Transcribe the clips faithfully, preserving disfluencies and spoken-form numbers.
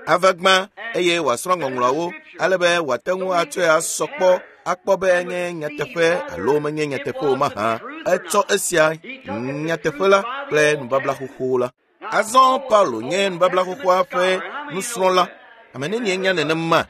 Ava gbã eye wòasrɔ̃ ŋɔŋlɔawo ale be wòate ŋu atsɔe asɔ kpɔ akpɔ be enye nyateƒe alo menye nyateƒe o mahã. Etsɔ esia nyateƒe la kple nubabla xoxo la. Azɔ Paulo nye nubabla xoxoa ƒe nusrɔ̃la. Ame nenie nya nenema?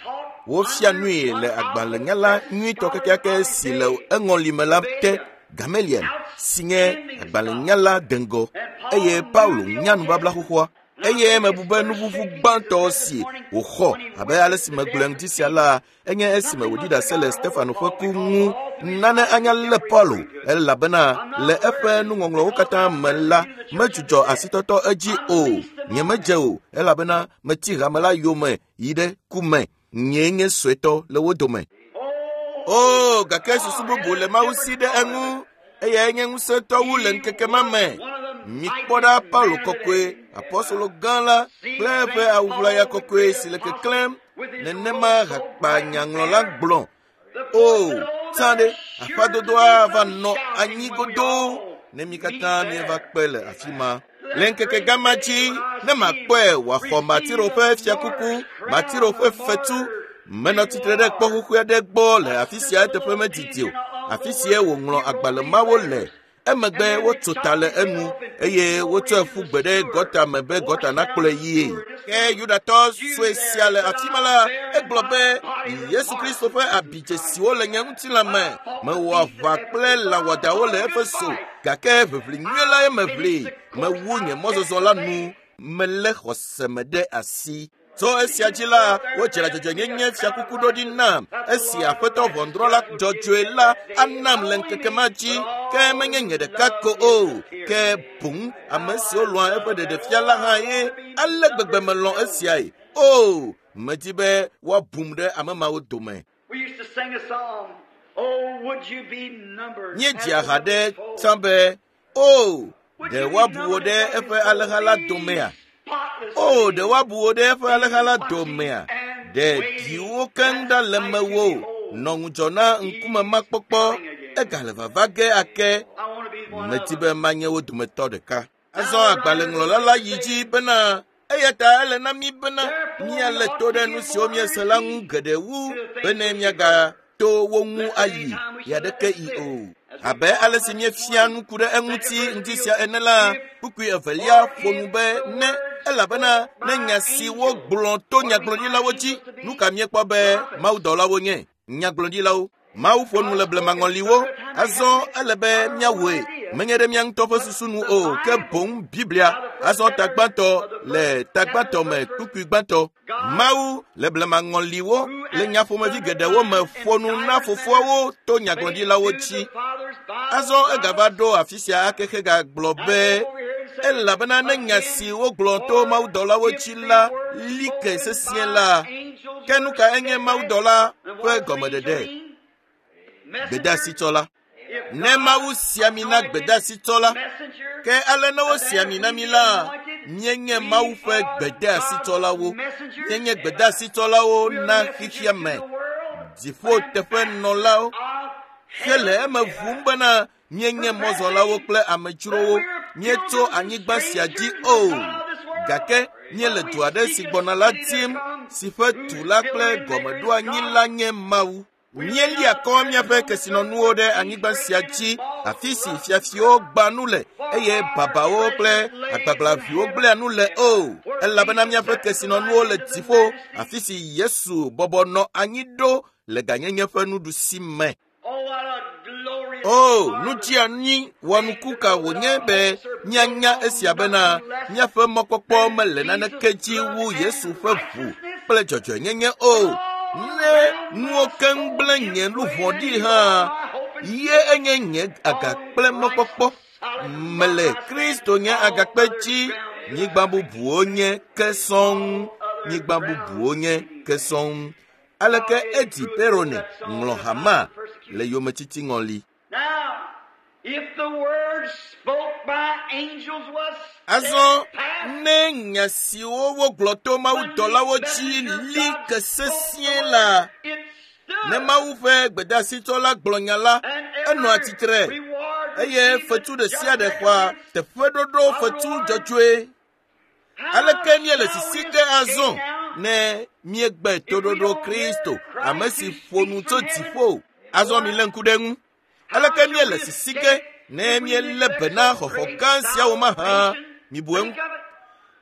Wofia nui le agbalẽnyala nyuitɔ kekeake si le eŋɔlime la te, Gamaliel, si nye agbalẽnyala deŋgɔ, eye Paulo nya nubabla xoxoa. Eye mebu be nuʋuʋu gbãtɔ si wòxɔ abe ale si megblɔe ŋuti sia la enye esime wòɖi ɖase le Stefano ƒe ku ŋu. Nane anya lé Paulo elabena le eƒe nuŋɔŋlɔwo katã me la medzudzɔ asitɔtɔ edzi o. Nyemedze o elabena metsi hame la yome yi ɖe ku me. Nyee nye suetɔ le wo dome. O, gake susu bubu le Mawu si ɖe eŋu. Eyae nye ŋusẽtɔ wu le ŋkeke ma me. Mikpɔ ɖa Paulo kɔkɔe, apɔstolo gã la kple eƒe awuʋlaya kɔkɔe si le keklẽm. Nenema hakpanyaŋlɔla gblɔ. O, tsã ɖe, aƒadodoa va nɔ anyi godoo ne mi katã mieva kpe le afi ma. Le ŋkeke gama dzi, ne makpɔe wòaxɔ Matiro ƒe fiakuku, Matiro ƒe fetu. Menɔ tsitre ɖe kpɔ xoxo aɖe gbɔ le afi sia eteƒe medidi o. Afi sie wòŋlɔ agbalẽ mawo le. Emegbe wotso ta le enu eye wotsɔe ƒu gbe ɖe gɔta me be gɔta nakplɔe yie. Ke Yudatɔ sue sia le afi ma la, egblɔ be Yesu Kristo ƒe abidzesiwo le nye ŋutilã me. Mewɔ aʋa kple lãwɔdawo le Efeso, gake ʋiʋli nyui lae meʋli. Mewu nye mɔzɔzɔ la nu. Melé xɔse me ɖe asi. Tso esia dzi la, wodzra dzɔdzɔenyenye fiakuku ɖo ɖi nam esi aƒetɔ ʋɔnudrɔ̃la dzɔdzɔe la anam le ŋkeke ma dzi. Ke menye nye ɖeka ko o, ke boŋ ame siwo lɔ̃a eƒe ɖeɖefia la hã ye. Ale gbegbe melɔ̃ esiae. O, medi be woabum ɖe ame mawo dome. We used to sing a song, Oh, would you be numbered? Míedzia ha ɖe tsã be, O, ɖe woabu wò ɖe eƒe alẽha la domea? O, ɖe woabu wò ɖe eƒe alẽha la domea? Ɖe ɖiwo keŋ ɖa le mewò. Nɔ ŋudzɔ na ŋkume makpɔkpɔ. Egale vava ge ake. I want to be one of Medi them. be manye wo dometɔ ɖeka. Azɔ agbalẽŋlɔla la yi dzi bena eya ta ele na mí bena míalé to ɖe nu siwo míese la ŋu geɖe wu bene míagato wo ŋu ayi yaɖeke yi o. Abe ale si míefia nu ku ɖe eŋuti ŋdi sia ene la, kpukpui evelia ƒo nu be ne elabena ne nya si wogblɔ to nyagblɔɖilawo dzi, nu ka míekpɔ be mawudɔlawo nye? Nyagblɔɖilawo. Mawu ƒo nu le blemaŋɔliwo. Azɔ ele be míawɔe menye ɖe mía ŋutɔ ƒe susu nu o, ke boŋ Biblia. Azɔ tagbãtɔ le tagbãtɔ me kpukpui gbãtɔ. Mawu le blemaŋɔliwo le nyaƒomevi geɖewo me ƒo nu na fofoawo to nyagblɔɖilawo dzi. Azɔ egava ɖo afi sia ake hegagblɔ be elabena ne nya si wogblɔ to mawudɔlawo dzi la li ke sesĩe la, ke nu ka enye mawudɔla ƒe gɔmeɖeɖe? Gbedeasitsɔla. Ne Mawu si ami na gbedeasitsɔla, ke ale ne wosi ami na mí la, míenye Mawu ƒe gbedeasitsɔlawo. Míenye gbedeasitsɔlawo na xexea me. Dziƒoteƒenɔlawo hele eme ʋum bena míenye mɔzɔlawo kple amedzrowo. Míetso anyigba sia dzi o, gake míele du aɖe si gbɔna la dim, si ƒe tu la kple gɔmeɖoanyi la nye Mawu. Míelia kɔ míaƒe kesinɔnuwo ɖe anyigba sia dzi, afi si fiafiwo gbã nu le eye babawo kple agbagblaviwo gblẽa nu le o. Elabena míaƒe kesinɔnuwo le dziƒo, afi si Yesu bɔbɔ nɔ anyi ɖo le gãnyenye ƒe nuɖusi me. Oh, what a glorious O, nudzianyi wɔnuku ka wònye be míanya esia bena míaƒe mɔkpɔkpɔ mele naneke dzi wu Yesu ƒe ʋu kple dzɔdzɔenyenye o. Ne nuwo keŋ gblẽ nye luʋɔ ɖi hã, ye enye nye agakple mɔkpɔkpɔ. Mele Kristo nye agakpe dzi. Nyigba bubuwo nye ke sɔŋ. Nyigba bubuwo nye ke sɔŋ. Aleke Eddie Perronet ŋlɔ hama le yometiti ŋɔli. Now, if the word spoke by angels was Azɔ steadfast, ne nya siwo wogblɔ to mawudɔlawo dzi li ke sesĩe la, it stood. ne Mawu ƒe gbedeasitsɔla gblɔ nya la, And enɔa every tsitre reward eye received fetu ɖe sia ɖe just xɔa teƒeɖoɖo fetu dzɔdzɔe. Aleke míele sisi ge azɔ ne míegbe toɖoɖo Kristo, ame si ƒo nu tso dziƒo? Azɔ milé ŋku ɖe eŋu. Aleke míele sisi ge ne míelé be na xɔxɔ gã siawo mahã? Mibu eŋu.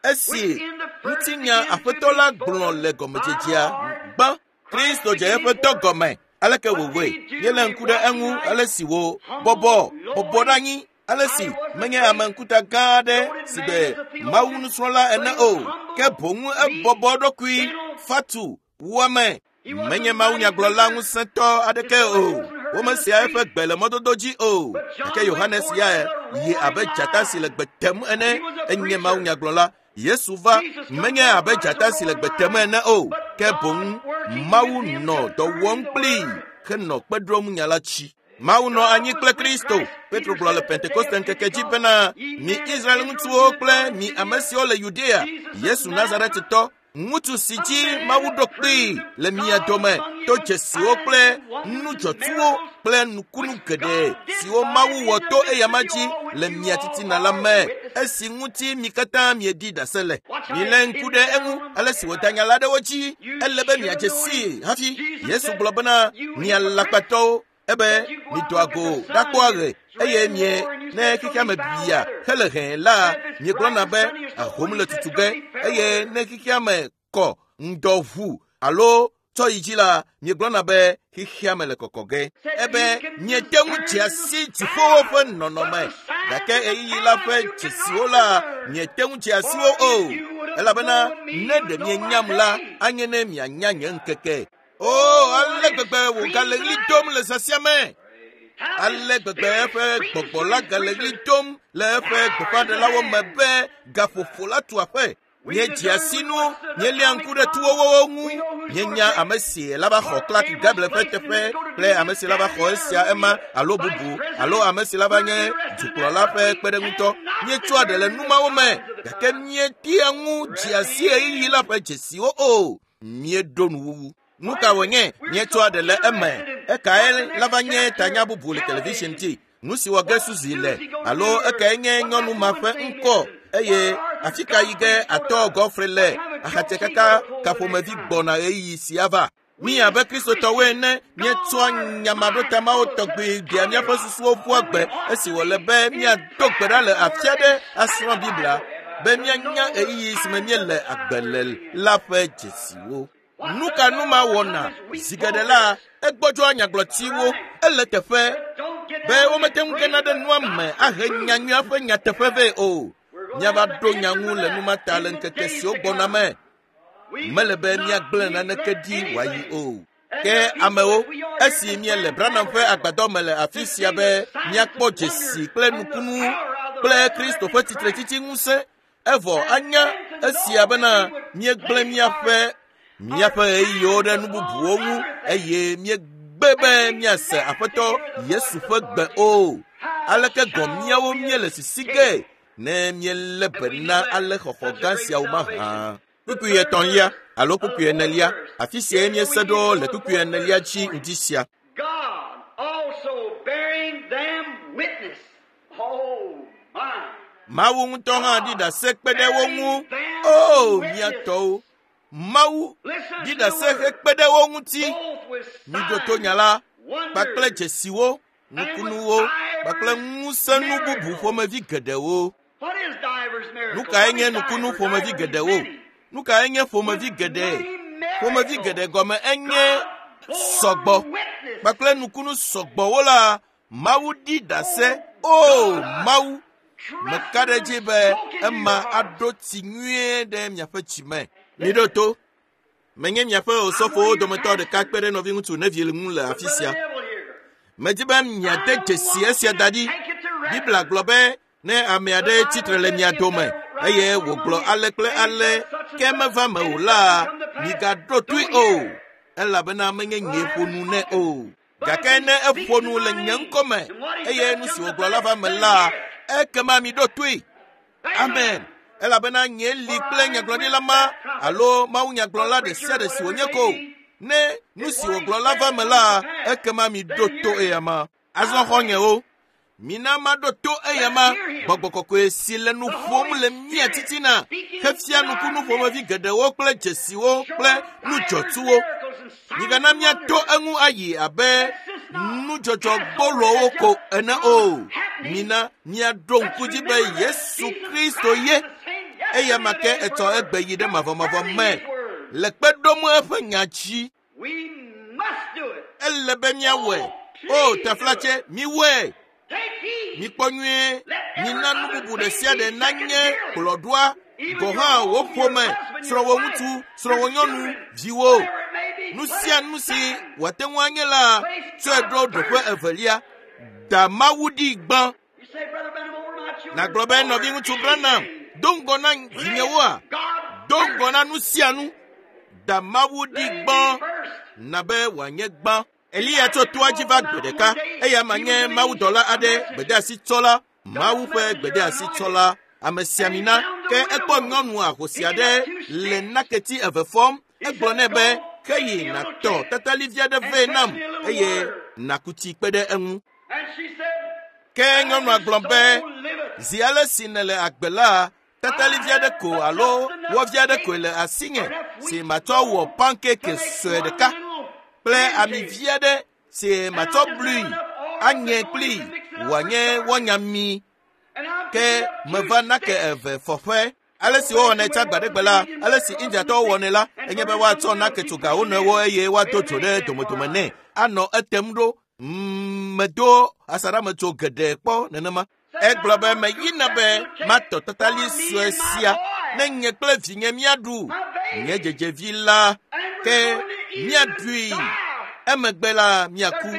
Esi ŋutinya Aƒetɔ la gblɔ le gɔmedzedzea gbã, Kristo dze eƒe dɔ gɔme. Aleke wòwɔe? Míelé ŋku ɖe eŋu ale si wò bɔbɔ bɔbɔ ɖe anyi, ale si menye ame ŋkuta gã aɖe si be Mawu nusrɔ̃la ene o, ke boŋ ebɔbɔ eɖokui fatu wɔme. Menye Mawu nyagblɔla ŋusẽtɔ aɖeke o. Womesia eƒe gbe le mɔdodo dzi o. Gake Yohanes ya yi abe dzata si le gbe tem ene. Enye Mawu nyagblɔla. Yesu va menye abe dzata si le gbe tem ene o, ke boŋ Mawu nɔ dɔ wɔm kplii henɔ kpe ɖom nya la dzi. Mawu nɔ anyi kple Kristo. Petro gblɔ le Pentekoste ŋkeke dzi bena, mi Israel ŋutsuwo kple mi ame siwo le Yudea, Yesu Nazaretitɔ, ŋutsu si dzi Mawu ɖo kpee le mia dome to dzesiwo kple nudzɔtsuwo kple nukunu geɖe siwo Mawu wɔ to eyama dzi le mia titina la me, esi ŋuti mi katã miedi ɖase le. Milé ŋku ɖe eŋu ale si wòda nya la ɖe wo dzi. Ele be miadze sii hafi. Yesu gblɔ bena, mi alakpatɔwo, ebe midoa go ɖakpɔa ɣe eye mie ne xexea me bia hele hẽ la, miegblɔna be ahom le tutu ge, eye ne xexea me kɔ ŋdɔ ʋu alo tsɔ yi dzi la, miegblɔna be xexea me le kɔkɔ ge. Ebe miete ŋu dzea si dziƒowo ƒe nɔnɔme, gake ɣeyiɣi la ƒe dzesiwo la, miete ŋu dzea si wo o. Elabena ne ɖe mienyam la, anye ne mianya nye ŋkeke. O, ale gbegbe wògale ɣli dom le zã sia me. Ale gbegbe eƒe gbɔgbɔ la gale ɣli dom le eƒe gbeƒãɖelawo me be gaƒoƒo la tu aƒe. Míedzea si nu, míeléa ŋku ɖe tuwɔwɔwo ŋu. Míenya ame si la va xɔ Clark Gable ƒe teƒe kple ame si la va xɔ esia ema alo bubu alo ame si la va nye dukplɔla ƒe kpeɖeŋutɔ. Míetsɔa ɖe le numawo me, gake míetea ŋu dzea si ɣeyiɣi la ƒe dzesiwo o. Míeɖo nuwuwu. Nu ka wònye míetsɔa ɖe le eme? Ekae la va nye tanya bubu le television dzi? Nu si wɔ ge Suzy le alo ekae nye nyɔnu ma ƒe ŋkɔ? Eye afi ka yi ge atɔ Godfrey le? Ahatsekaka kaƒomevi gbɔna ɣeyiɣi sia va. Mi abe Kristotɔwoe ene, míetsɔa nyamaɖotamawo tɔgbi ɖea míaƒe susuwo ƒua gbe esi wòle be míado gbe ɖa le afi aɖe asrɔ̃ Biblia be míanya ɣeyiɣi si me míele agbe le la ƒe dzesiwo. Nu ka nu ma wɔna? Zi geɖe la, egbɔdzɔa nyagblɔtiwo. Ele teƒe be womete ŋu gena ɖe nua me ahe nyanyuia ƒe nyateƒe vɛ o. Míava ɖo nya ŋu le nu ma ta le ŋkeke siwo gbɔna me. Mele be míagblẽ naneke ɖi wòayi o. Ke amewo, esi míele Branham ƒe agbadɔ me le afi sia be míakpɔ dzesi kple nukunu kple Kristo ƒe tsitretsitsi ŋusẽ, evɔ anya esia bena míegblẽ míaƒe míaƒe ɣeyiɣiwo ɖe nu bubuwo ŋu eye míegbe be míase Aƒetɔ Yesu ƒe gbe o. Aleke gɔ̃ míawo míele sisi ge ne míelé be na ale xɔxɔ gã siawo mahã? Kpukpui etɔ̃lia alo kpukpui enelia, afi siae míese ɖo le kpukpui enelia dzi ŋdi sia. God also bearing them witness. Oh my. Mawu ŋutɔ hã ɖi ɖase kpe ɖe wo ŋu. O, mía tɔwo. Mawu ɖi ɖase hekpe ɖe wo ŋuti. Both with Miɖo to nya la signs, kpakple wonders, dzesiwo, nukunuwo kpakple ŋusẽnu bubu ƒomevi geɖewo. What is divers miracles? Nu kae What nye is nukunu divers? ƒomevi Divers is geɖewo? many. Nu kae nye ƒomevi geɖe? Ƒomevi geɖe gɔme enye sɔgbɔ Witness. kpakple nukunu sɔgbɔwo la, Mawu ɖi ɖase. O Mawu, meka ɖe edzi be ema aɖo tsi nyuie ɖe miaƒe dzi me. Miɖo to. Menye miaƒe osɔfowo dometɔ ɖeka kpe ɖe nɔviŋutsu Neville ŋu le afi sia. Brother Neville here. Medi be miade dzesi esia da ɖi. Biblia gblɔ be ne ame aɖe tsitre le mia dome eye wògblɔ ale kple ale ke meva me o la, migaɖo toe o, elabena menye nyee ƒo nu nɛ o. Gake ne eƒo nu le nye ŋkɔ me eye nu si wògblɔ la va me la, ekema miɖo toe. Amen. Elabena nye li kple nyagblɔɖila ma alo Mawu nyagblɔla ɖe sia ɖe si wònye ko. Ne nu si wògblɔ la va me la, ekema miɖo to eyama. Azɔ xɔ̃nyewo, Mina maɖo to eyama gbɔgbɔ kɔkɔe si le nu ƒom le mía titina hefia nukunu ƒomevi geɖewo kple dzesiwo kple nudzɔtsuwo. Migana míato eŋu ayi abe nudzɔdzɔ gbolowo ko ene o. Mina míaɖo ŋku dzi be Yesu Kristo ye eyama ke etsɔ egbe yi ɖe mavɔmavɔ me le kpe ɖom eƒe nya dzi. Ele be míawɔe. O taflatse, miwɔe. Mikpɔ nyuie, mina nu bubu ɖe sia ɖe nanye kplɔɖoa gɔ̃ hã wò ƒome, srɔ̃wò ŋutsu, srɔ̃wò nyɔnu, viwò. Nu sia nu si wòate ŋu anye la, tsɔe ɖo ɖoƒe evelia. Da Mawu ɖi gbã. Nàgblɔ be nɔviŋutsu Branham, do ŋgɔ na vinyewoa, do ŋgɔ na nu sia nu. Da Mawu ɖi gbã, na be wòanye gbã. Eliya tso toa dzi va gbe ɖeka, eya ma nye mawudɔla aɖe gbedeasitsɔla, Mawu ƒe gbedeasitsɔla, amesiamina. Ke ekpɔ nyɔnu ahosi aɖe le naketi eve fɔm. Egblɔ nɛ be, ke yi nàtɔ tatalivi aɖe vɛ nam eye nàku tsi kpe ɖe eŋu. Ke nyɔnua gblɔ be, zi ale si nèle agbe la, tatalivi aɖe ko alo wɔvi aɖe koe le asinye si matsɔ wɔ pankeke sue ɖeka kple amivi aɖe si matsɔ blui anye kpli wòanye wɔnyami. Ke meva nake eve fɔƒe. Ale si wowɔnɛ tsa gbaɖegbe la, ale si Indiatɔwo wɔnɛ la, enye be woatsɔ nake tso ga wo nɔewo eye woado dzo ɖe domedome nɛ anɔ etem ɖo. Medo asaɖame tso geɖe kpɔ nenema. Egblɔ be meyina be matɔ tatali sue sia ne nye kple vinye míaɖu nye dzedzevi la, ke míaɖui emegbe la míaku.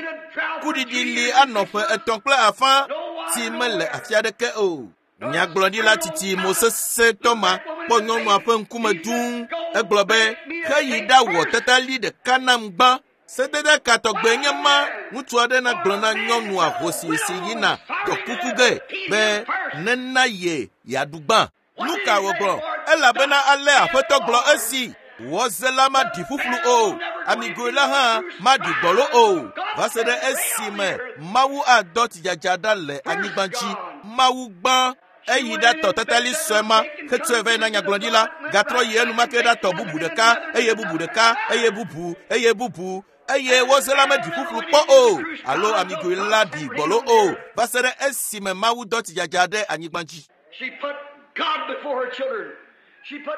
Kuɖiɖi li anɔ ƒe etɔ̃ kple afã si mele afi aɖeke o. Nyagblɔɖila tsitsi mosesẽtɔ ma kpɔ nyɔnua ƒe ŋkume dũu. Egblɔ be, heyi ɖawɔ tatali ɖeka nam gbã. Sedede ka tɔgbe nye ma ŋutsu aɖe nagblɔ na nyɔnu ahosi si yina dɔkuku ge be nena ye yeaɖu gbã. Nu ka wògblɔ? Elabena ale Aƒetɔ gblɔ esi, wɔze la maɖi ƒuƒlu o, amigoe la hã maɖi gbɔlo o, va se ɖe esime Mawu adɔ tsidzadza ɖa le anyigba dzi. Mawu gbã. Eyi ɖatɔ tatali sue ma hetsɔe vɛ na nyagblɔɖila, gatrɔ yi enumake ɖatɔ bubu ɖeka, eye bubu ɖeka, eye bubu, eye bubu. Eye wɔze la meɖi ƒuƒlu kpɔ o, alo amigoe la ɖi gbɔlo o, va se ɖe esime Mawu dɔ tsidzadza ɖe anyigba dzi.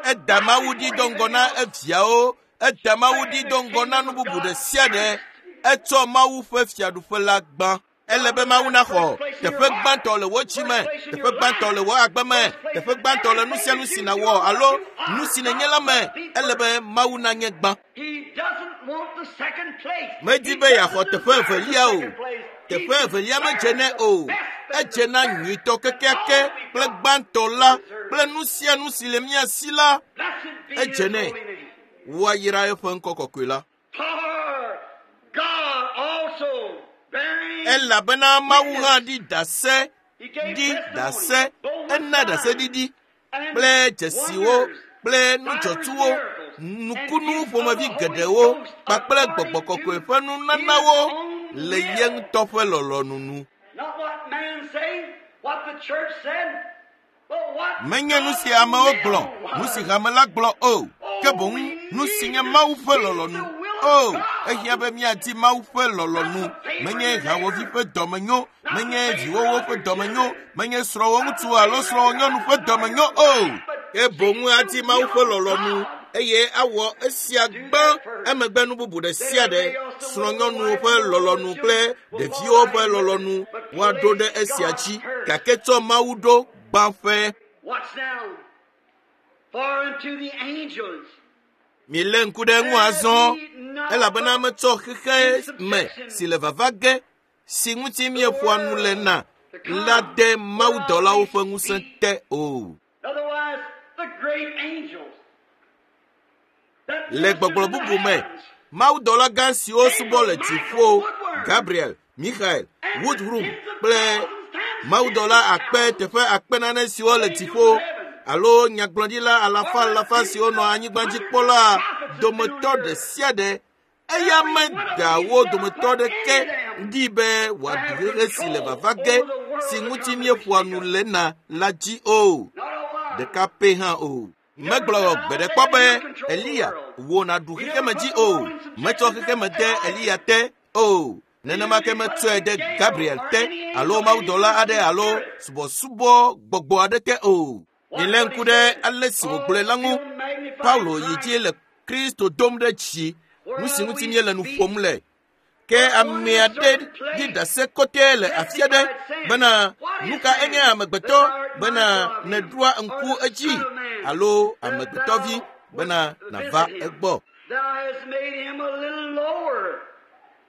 Eda Mawu ɖi do ŋgɔ na eviawo, eda Mawu ɖi do ŋgɔ na nu bubu ɖe sia ɖe. Etsɔ Mawu ƒe fiaɖuƒe la gbã. Ele be Mawu naxɔ teƒe gbãtɔ le wò dzi me, teƒe gbãtɔ le wò agbe me, teƒe gbãtɔ le nu sia nu si nàwɔ alo nu si nènye la me. Ele be Mawu nanye gbã. Medi be yeaxɔ teƒe evelia o. Teƒe evelia medze nɛ o. Edze na nyuitɔ kekeake kple gbãtɔ la kple nu sia nu si le mía si la. Edze nɛ. Woayra eƒe ŋkɔ kɔkɔe la. Elabena Mawu hã ɖi ɖase, ɖi ɖase, ena ɖaseɖiɖi kple dzesiwo kple nudzɔtsuwo, nukunu ƒomevi geɖewo kpakple gbɔgbɔ kɔkɔe ƒe nunanawo le ye ŋutɔ ƒe lɔlɔ̃nu nu. Menye nu si amewo gblɔ, nu si hame la gblɔ o, ke boŋ nu si nye Mawu ƒe lɔlɔ̃nu. O, ehiã be míadi Mawu ƒe lɔlɔ̃nu. Menye hawòvi ƒe dɔmenyo, menye viwòwo ƒe dɔmenyo, menye srɔ̃wò ŋutsu alo srɔ̃wò nyɔnu ƒe dɔmenyo o. Ke boŋ adi Mawu ƒe lɔlɔ̃nu eye awɔ esia gbã emegbe nu bubu ɖe sia ɖe, srɔ̃nyɔnuwo ƒe lɔlɔ̃nu kple ɖeviwo ƒe lɔlɔ̃nu woaɖo ɖe esia dzi. Gake tsɔ Mawu ɖo gbã ƒe. Milé ŋku ɖe eŋu azɔ, elabena metsɔ xexe me si le vava ge, si ŋuti míeƒoa nu le na la de mawudɔlawo ƒe ŋusẽ te o. Le gbɔgblɔ bubu me, mawudɔla gã siwo subɔ le dziƒo, Gabriel, Michael, Woodroom kple mawudɔla akpe teƒe akpe nane siwo le dziƒo alo nyagblɔɖila alafa alafa siwo nɔ anyigba dzi kpɔ la dometɔ ɖe sia ɖe, eya meda wo dometɔ ɖeke ɖi be wòaɖu xexe si le vava ge si ŋuti míeƒoa nu le na la dzi o. Ɖeka pɛ hã o. Megblɔ gbe ɖe kpɔ be Eliya wò nàɖu xexeme dzi o. Metsɔ xexeme de Eliya te o. Nenema ke metsɔe de Gabriel te alo mawudɔla aɖe alo subɔsubɔ gbɔgbɔ aɖeke o. Milé ŋku ɖe ale si wògblɔe la ŋu. Paulo yi dzi le Kristo dom ɖe dzi, nu si ŋuti míele nu ƒom le. Ke ame aɖe ɖi ɖase kɔtɛ le afi aɖe bena nu ka enye amegbetɔ bena nèɖoa ŋku edzi alo amegbetɔvi bena nàva egbɔ. Thou hast made him a little lower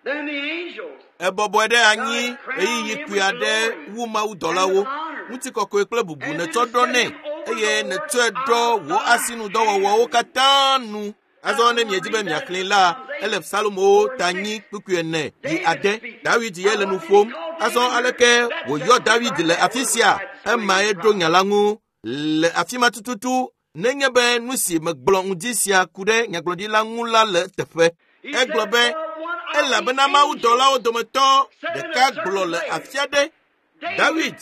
than the angels. Ebɔbɔe ɖe anyi ɣeyiɣi kpui aɖe wu mawudɔlawo. Ŋutikɔkɔe kple bubu nètsɔ ɖɔ nɛ eye nètsɔe ɖɔ wò asinudɔwɔwɔwo katã nu. Azɔ ne miedi be miaxlẽe la, ele Psalmowo ta nyi kpukpui ene yi ade. David ye le nu ƒom. Azɔ aleke wòyɔ David le afi sia? Emae ɖo nya la ŋu le afi ma tututu nenye be nu si megblɔ ŋdi sia ku ɖe nyagblɔɖila ŋu la le teƒe. Egblɔ be elabena mawudɔlawo dometɔ ɖeka gblɔ le afi aɖe, David,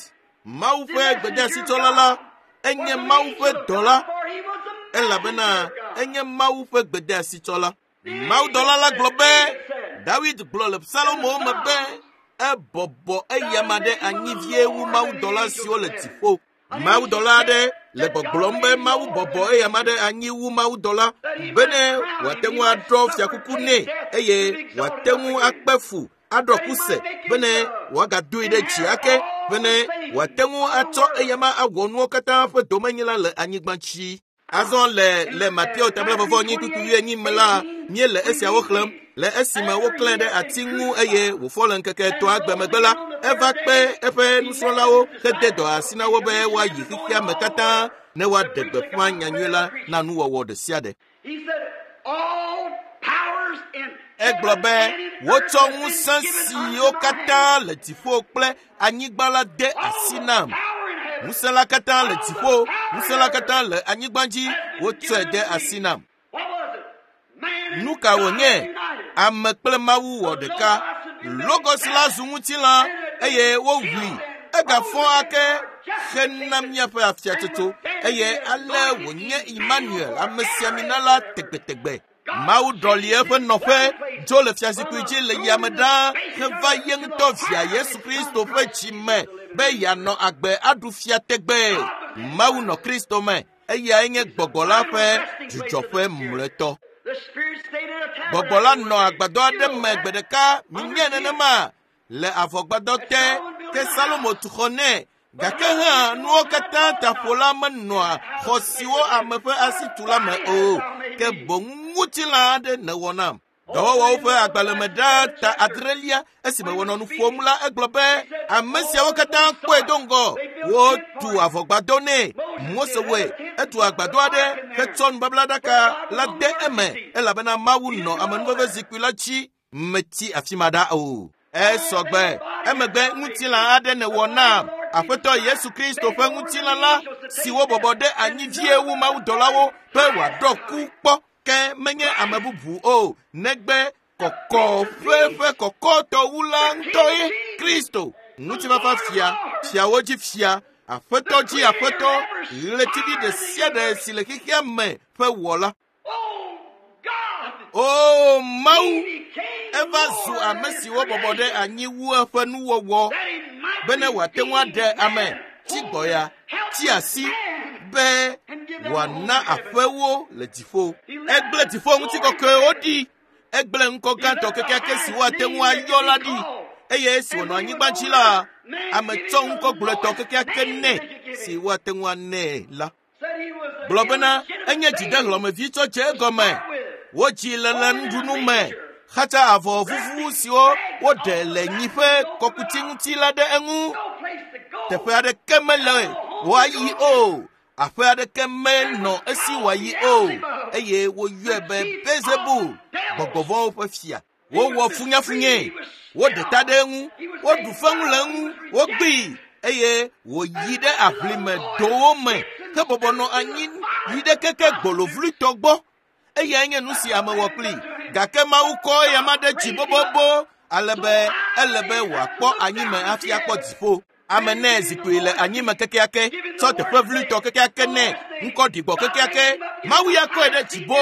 Mawu ƒe gbedeasitsɔla la, enye Mawu ƒe dɔla elabena enye Mawu ƒe gbedeasitsɔla. Mawudɔla la gblɔ be David gblɔ le Psalmowo me be ebɔbɔ eyama ɖe anyi vie wu mawudɔla siwo le dziƒo. Mawudɔla aɖe le gbɔgblɔm be Mawu bɔbɔ eyama ɖe anyi wu mawudɔla bene wòate ŋu aɖɔ fiakuku nɛ eye wòate ŋu akpe fu aɖɔ kuse bene wòagadoe ɖe dzi ake bene wòate ŋu atsɔ eyama awɔ nuwo katã ƒe domenyila le anyigba dzi. Azɔ le le Mateo tabla vɔvɔ nyi kpukpui wuienyi me la, míele esiawo xlẽm. Le esime woklãe ɖe ati ŋu eye wòfɔ le ŋkeke etɔ̃a gbe megbe la, eva kpe eƒe nusrɔ̃lawo hede dɔ asi na wo be woayi xexea me katã ne woaɖe gbeƒã nyanyui la na nuwɔwɔ ɖe sia ɖe. He said, All powers in Egblɔ be wotsɔ ŋusẽ siwo katã le dziƒo kple anyigba la de asi nam. Ŋusẽ la katã le dziƒo, ŋusẽ la katã le anyigba dzi, wotsɔe de asi nam. What was it? Man Nu ka wònye? Ame kple Mawu wɔ ɖeka. Logos la zu ŋutilã eye wowui. Egafɔ ake hena míaƒe afiatsotso eye ale wònye Emmanuel, amesiamina la tegbetegbe. Mawu ɖɔli eƒe nɔƒe dzo le fiazikpui dzi le yame ɖaa heva ye ŋutɔ via Yesu Kristo ƒe dzi me be yeanɔ agbe aɖu fia tegbee. Mawu nɔ Kristo me eyae nye gbɔgbɔ la ƒe dzudzɔƒe mlɔetɔ. The Spirit stayed in a tabernacle. Gbɔgbɔ la nɔ agbadɔ aɖe me gbe ɖeka minye nenema le avɔgbadɔ te ke Salomo tu xɔ nɛ. Gake hã nuwo katã ta ƒo la menɔa xɔ siwo ame ƒe asi tu la me o ke boŋ ŋutilã aɖe nèwɔ nam. Dɔwɔwɔwo ƒe agbalẽ me ɖaa ta adrelia esime wònɔ nu ƒom la egblɔ be ame siawo katã kpɔe do ŋgɔ. Wotu avɔgbadɔ nɛ. Mose wɔe. Etu agbadɔ aɖe hetsɔ nubablaɖaka la de eme elabena Mawu nɔ amenuveve zikpui la dzi metsi afi ma ɖa o. Esɔgbe. Emegbe ŋutilã aɖe nèwɔ nam. Aƒetɔ Yesu Kristo ƒe ŋutilã la si wobɔbɔ ɖe anyi vie wu mawudɔlawo be wòaɖɔ ku kpɔ ke menye ame bubu o negbe kɔkɔƒe ƒe kɔkɔtɔ wu la ŋutɔe Kristo. Ŋutifafa fia, fiawo dzi fia, aƒetɔ dzi aƒetɔ, ɣletivi ɖe sia ɖe si le xexea me ƒe wɔla. Oh, God! O Mawu, He became eva zu Lord ame and si wobɔbɔ ɖe anyi wu eƒe nuwɔwɔ that he might bene wòate ŋu aɖe ame tsi gbɔya, tsi asi be wòana aƒewo le dziƒo. Egblẽ dziƒo ŋutikɔkɔewo ɖi. Egblẽ ŋkɔ gãtɔ kekeake si woate ŋu ayɔ la ɖi. Eye esi wònɔ anyigba dzi la, ame tsɔ ŋkɔ gblɔetɔ kekeake nɛ si woate ŋu anɛ la. Said he was the Gblɔ bena enye illegitimate dzidehlɔ̃mevi tsɔ dze egɔme. Wodzi le lãnuɖunu me. Xatsa avɔ vuvu siwo woɖe le nyi ƒe kɔkuti ŋuti la ɖe eŋu. No place to go. Teƒe aɖeke mele wòayi o. Aƒe aɖeke menɔ esi wòayi o. Eye woyɔe be Beelzebul, gbɔgbɔvɔ̃wo ƒe fia. Wowɔ funyafunyɛ, woɖe ta ɖe eŋu, woɖu feŋu le eŋu, wogbee eye wòyi ɖe aʋlime dowo me hebɔbɔ nɔ anyi yi ɖe keke gbolovlitɔ gbɔ. Eyae nye nu si ame wɔ kplii. Gake Mawu kɔ eyama ɖe dzi bobobo ale be ele be wòakpɔ anyime hafi akpɔ dziƒo. Ame nɛ zikpui le anyime kekeake, tsɔ teƒe vlitɔ kekeake nɛ, ŋkɔ ɖigbɔ kekeake. Mawu ya kɔe ɖe dzibo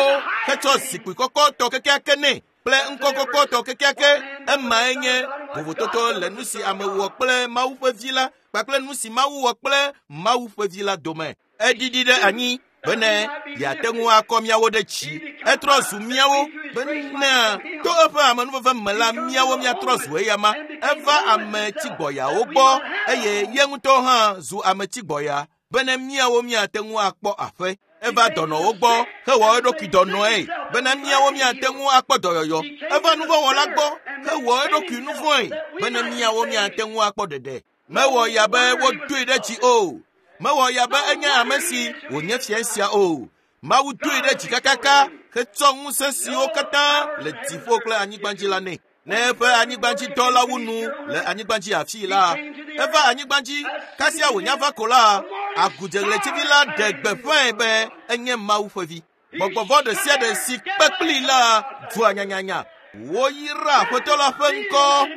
hetsɔ zikpui kɔkɔtɔ kekeake nɛ kple ŋkɔ kɔkɔtɔ kekeake. Emae nye vovototo le nu si ame wɔ kple Mawu ƒe vi la kpakple nu si Mawu wɔ kple Mawu ƒe vi la dome. Eɖiɖi ɖe anyi bene yeate ŋu akɔ míawo ɖe dzi. Etrɔ zu míawo bena to eƒe amenuveve me la míawo míatrɔ zu eyama. Eva ame tsigbɔyawo gbɔ eye ye ŋutɔ hã zu ame tsigbɔya bene míawo míate ŋu akpɔ aƒe. Eva dɔnɔwo gbɔ hewɔ eɖokui dɔnɔe bena míawo míate ŋu akpɔ dɔyɔyɔ. Eva nuvɔ̃wɔla gbɔ hewɔ eɖokui nuvɔ̃e bene míawo míate ŋu akpɔ ɖeɖe. Mewɔ ya be wodoe ɖe dzi o. Mewɔ ya be enye ame si wònye fia sia o. Mawu doe ɖe dzi kakaka hetsɔ ŋusẽ siwo katã le dziƒo kple anyigba dzi la nɛ. Ne eƒe anyigbadzidɔ la wu nu le anyigba dzi afii la, eva anyigba dzi kasia wònya va ko la, agudzeɣletivi la ɖe gbeƒãe be enye Mawu ƒe vi. Gbɔgbɔ vɔ̃ ɖe sia ɖe si kpe kplii la dua nyanyanya. Woyra Aƒetɔ la ƒe ŋkɔ.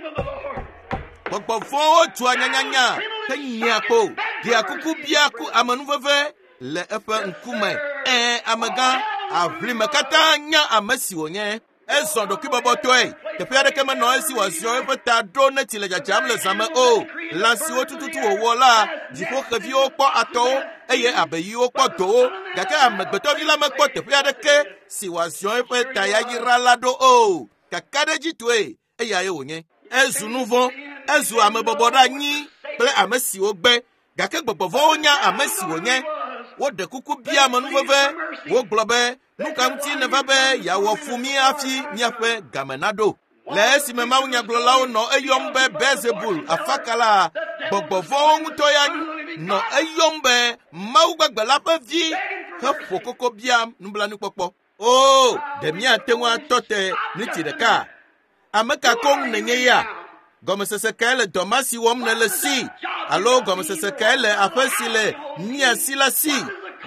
Gbɔgbɔ vɔ̃wo dua nyanyanya henyea kpo, ɖea kuku bia ku amenuveve le eƒe ŋkume. Ɛ̃, amegã, aʋlime katã nya ame si wònye. Ezɔ ɖokuibɔbɔtɔe. Teƒe aɖeke menɔ esi wòaziɔ eƒe ta ɖo ne tsi le dzadzam le zãme o. Lã siwo tututu wòwɔ la, dziƒoxeviwo kpɔ atɔwo eye abeyiwo kpɔ dowo. Gake amegbetɔvi la mekpɔ teƒe aɖeke si wòaziɔ eƒe ta yayra la ɖo o. Kakaɖedzitɔe eyae wònye. Ezu nu vɔ̃, ezu amebɔbɔ ɖe anyi kple ame siwo gbe. Gake gbɔgbɔ vɔ̃wo nya ame si wònye. Woɖe kuku bia amenuveve. Wogblɔ be, nu ka ŋuti nèva be yeawɔ fu mí hafi míaƒe game naɖo? Le esime mawunyagblɔlawo nɔ eyɔm be Beelzebul afakala, gbɔgbɔ vɔ̃wo ŋutɔ ya nɔ eyɔm be Mawu gbagbe la ƒe vi heƒo koko bia nublanuikpɔkpɔ. O, ɖe míate ŋu atɔ te miniti ɖeka? Ame ka koŋ nènye ya? Gɔmesese kae le dɔ ma si wɔm nèle si? Alo gɔmesese kae le aƒe si le mía si la si?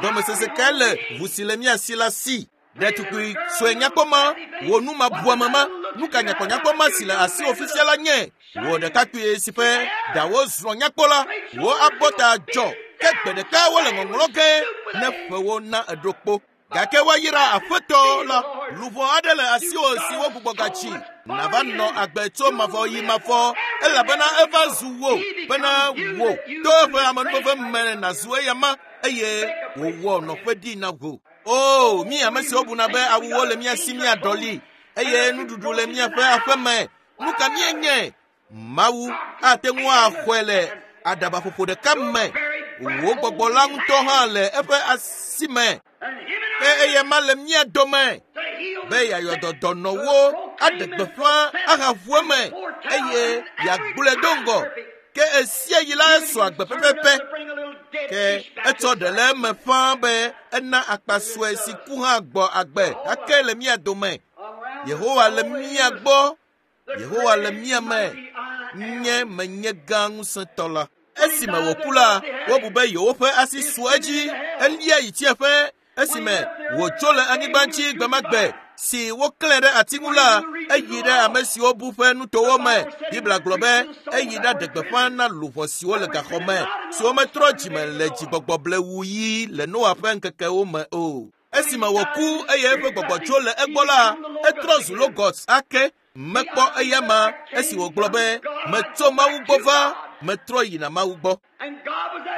Gɔmesese kae le ʋu si le mía si la si? Ɖetugbui sue nyakpɔ ma, wò nu mabuame ma, nu ka nyakpɔnyakpɔ ma si le asiwò fifia la nye? Wò ɖekakpui si ƒe ɖawo zrɔ̃ nyakpɔ la, wò abɔta dzɔ, ke gbe ɖeka wole ŋɔŋlɔ ge ne ƒewo na eɖo kpo. Gake woayra Aƒetɔ la, luʋɔ aɖe le asiwò si wogbugbɔ gatsi. Nàva nɔ agbe tso mavɔ yi mavɔ, elabena eva zu wò bena wò to eƒe amenuveve me nàzu eyama eye wòwɔ nɔƒe ɖi na wò. O, mí ame siwo buna be awuwo le mía si míaɖɔli eye nuɖuɖu le míaƒe aƒe me, nu ka míenye? Mawu ate ŋu axɔe le aɖabaƒoƒo ɖeka me. Wò gbɔgbɔ la ŋutɔ hã le eƒe asi me. Ke eyama le mía dome be yeayɔ dɔ dɔnɔwo, aɖe gbeƒã ahaʋu eme eye yeagblɔe do ŋgɔ. Ke esia yi la esɔ agbe pɛpɛpɛ. Ke etsɔ ɖe le eme ƒãa be ena akpa sue si ku hã gbɔ agbe gake le mía dome. Yehowa le mía gbɔ. Yehowa le mía me. Nye menye gã ŋusẽtɔ la. Esime wòku la, wobu be yewoƒe asi su edzi. Elia yi tsiẽƒe. Esime wòtso le anyigba dzi gbe ma gbe si woklãe ɖe ati ŋu la, eyi ɖe ame siwo bu ƒe nutowo me. Biblia gblɔ be eyi ɖaɖe gbeƒã na luʋɔ siwo le gaxɔ me, siwo metrɔ dzime le dzigbɔgbɔ blewu ɣi le Noa ƒe ŋkekewo me o. Esime wòku eye eƒe gbɔgbɔ tso le egbɔ la, etrɔ zu Logos ake. Mekpɔ eyama esi wògblɔ be, metso Mawu gbɔ va, metrɔ yina Mawu gbɔ.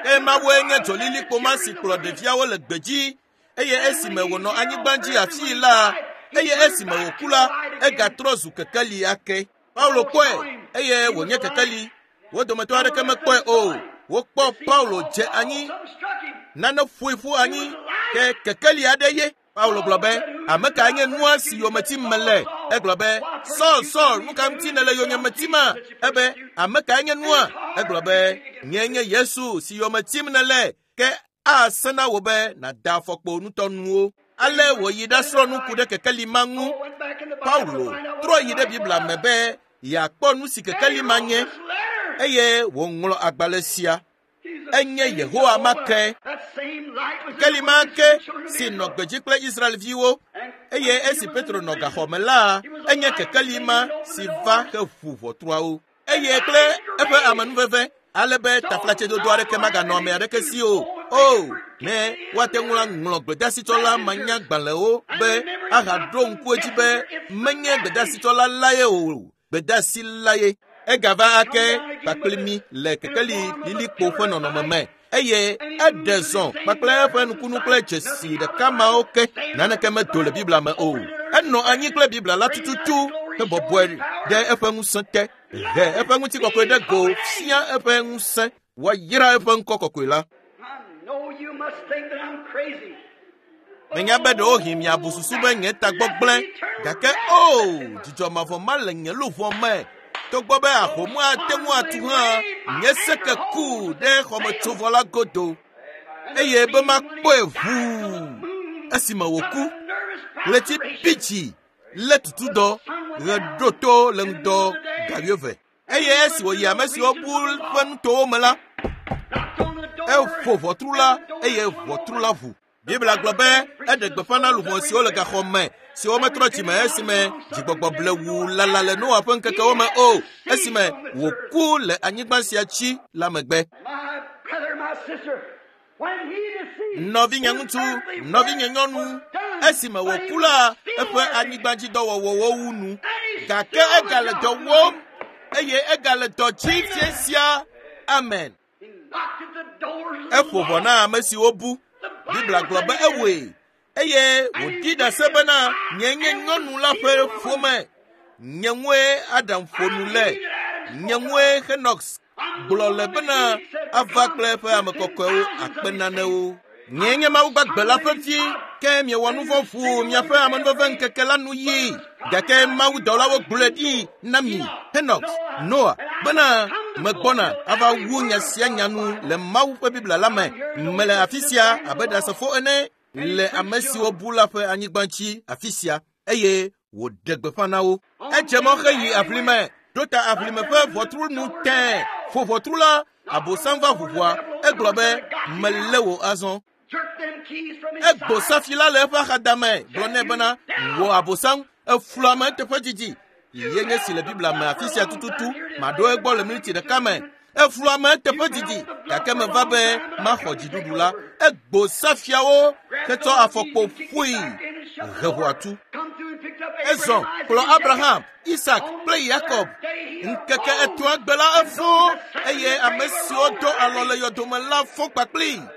Ke Mawue nye dzolilikpo ma si kplɔ ɖeviawo le gbedzi eye esime wònɔ anyigba dzi afii la, eye esime wòku la, egatrɔ zu kekeli ake. Paulo kpɔe eye wònye kekeli. Wo dometɔ aɖeke mekpɔe o. Wokpɔ Paulo dze anyi, nane ƒoe ƒu anyi, ke kekeli aɖe ye. Paulo gblɔ be, ame kae nye nua si yome tim mele? Egblɔ be, Saul, Saul, nu ka ŋuti nèle yonyeme tima? Ebe, ame kae nye nua? Egblɔ be, nye nye Yesu si yome tim nèle. Ke asẽ na wò be nàda afɔkpo ŋutɔnuwo. Ale wòyi ɖasrɔ̃ nu ku ɖe kekeli ma ŋu. Paulo trɔ yi ɖe Biblia me be yeakpɔ nu si kekeli ma nye eye wòŋlɔ agbalẽ sia. Enye Yehowa ma ke. Kekeli ma ke si nɔ gbedzi kple Israelviwo eye esi Petro nɔ gaxɔ me la, enye kekeli ma si va heʋu ʋɔtruawo. Eye kple eƒe amenuveve Ale be taflatsedodo aɖeke maganɔ ame aɖeke si o. O, ne woate ŋu aŋlɔ gbedasitsɔla manyagbalẽwo be ahaɖo ŋku edzi be menye gbedasitsɔla lae o, gbedasi lae. Egava ake kpakple mi le kekeli lilikpo ƒe nɔnɔme me. Eye eɖe zɔ kpakple eƒe nukunu kple dzesi ɖeka mawo ke. Naneke medo le Biblia me o. Enɔ anyi kple Biblia la tututu hebɔbɔe ɖe eƒe ŋusẽ te. He eƒe ŋutikɔkɔe ɖe go fia eƒe ŋusẽ. Woayra eƒe ŋkɔ kɔkɔe la. I know you must think that I'm crazy. Menya be ɖewohĩ miabu susu be nye tagbɔ gblẽ, gake o, dzidzɔ mavɔ ma le nye luʋɔ me. Togbɔ be ahomu ate ŋu atu hã, nye seke ku ɖe xɔmetsovɔ la godo. Eye be makpɔe ʋuu esime wòku. Ɣleti bitsi lé tutudɔ, ɣe ɖo to le ŋdɔ ga wuieve. Eye esi wòyi ame siwo bu ƒe nutowo me la, eƒo ʋɔtru la eye ʋɔtru la ʋu. Biblia gblɔ be eɖe gbeƒã na luʋɔ siwo le gaxɔ me, siwo metrɔ dzime esime dzigbɔgbɔ blewu lala le Noa ƒe ŋkekewo me o, esime wòku le anyigba sia dzi la megbe. My brother, my sister, when he deceived Nɔvinye ŋutsu, nɔvinye nyɔnu, esime wòku la, eƒe anyigbadzidɔwɔwɔwo wu nu. Gake egale dɔ wɔm eye egale dɔ dzi fie sia. Amen. he knocked at the doors of Eƒo ʋɔ na ame siwo bu. Biblia gblɔ be ewɔe eye wòdi ɖase bena nye nye nyɔnu la ƒe ƒome. Nye ŋue Adam ƒo nu le. Nye ŋue Henox gblɔ le bena ava kple eƒe ame kɔkɔewo akpe nanewo. Nye nye Mawu gbagbe la ƒe vi, ke miewɔ nu vɔ̃ ʋuu miaƒe amenuveve ŋkeke la nu yi. Gake mawudɔlawo gblɔe ɖi na mi, Henox, Noa, bena megbɔna ava wu nya sia nya nu le Mawu ƒe Biblia la me. Mele afi sia abe ɖasefo ene le ame siwo bu la ƒe anyigba dzi afi sia eye wòɖe gbeƒã na wo. Edze mɔ heyi aʋlime, ɖo ta aʋlime ƒe ʋɔtru nu tẽe. Ƒo ʋɔtru la, Abosam va ʋuʋua. Egblɔ be, melé wò azɔ. jerked them keys from his Egbo side. safi la le eƒe axadame gblɔ nɛ bena, wò Abosam, eflu ame eteƒe didi. Ye nye si le Biblia me afi sia tututu, maɖo egbɔ le miniti ɖeka me. Eflu ame eteƒe didi, gake meva be maxɔ dziɖuɖu la. Egbo safiawo hetsɔ afɔkpo ƒoe he ʋɔa tu. Come through and picked up Ezɔ Abraham, kplɔ Isaac, and Abraham, Isak kple Yakob. Ŋkeke etɔ̃a gbe la efo eye ame siwo do alɔ le yɔdome la fɔ kpakpli.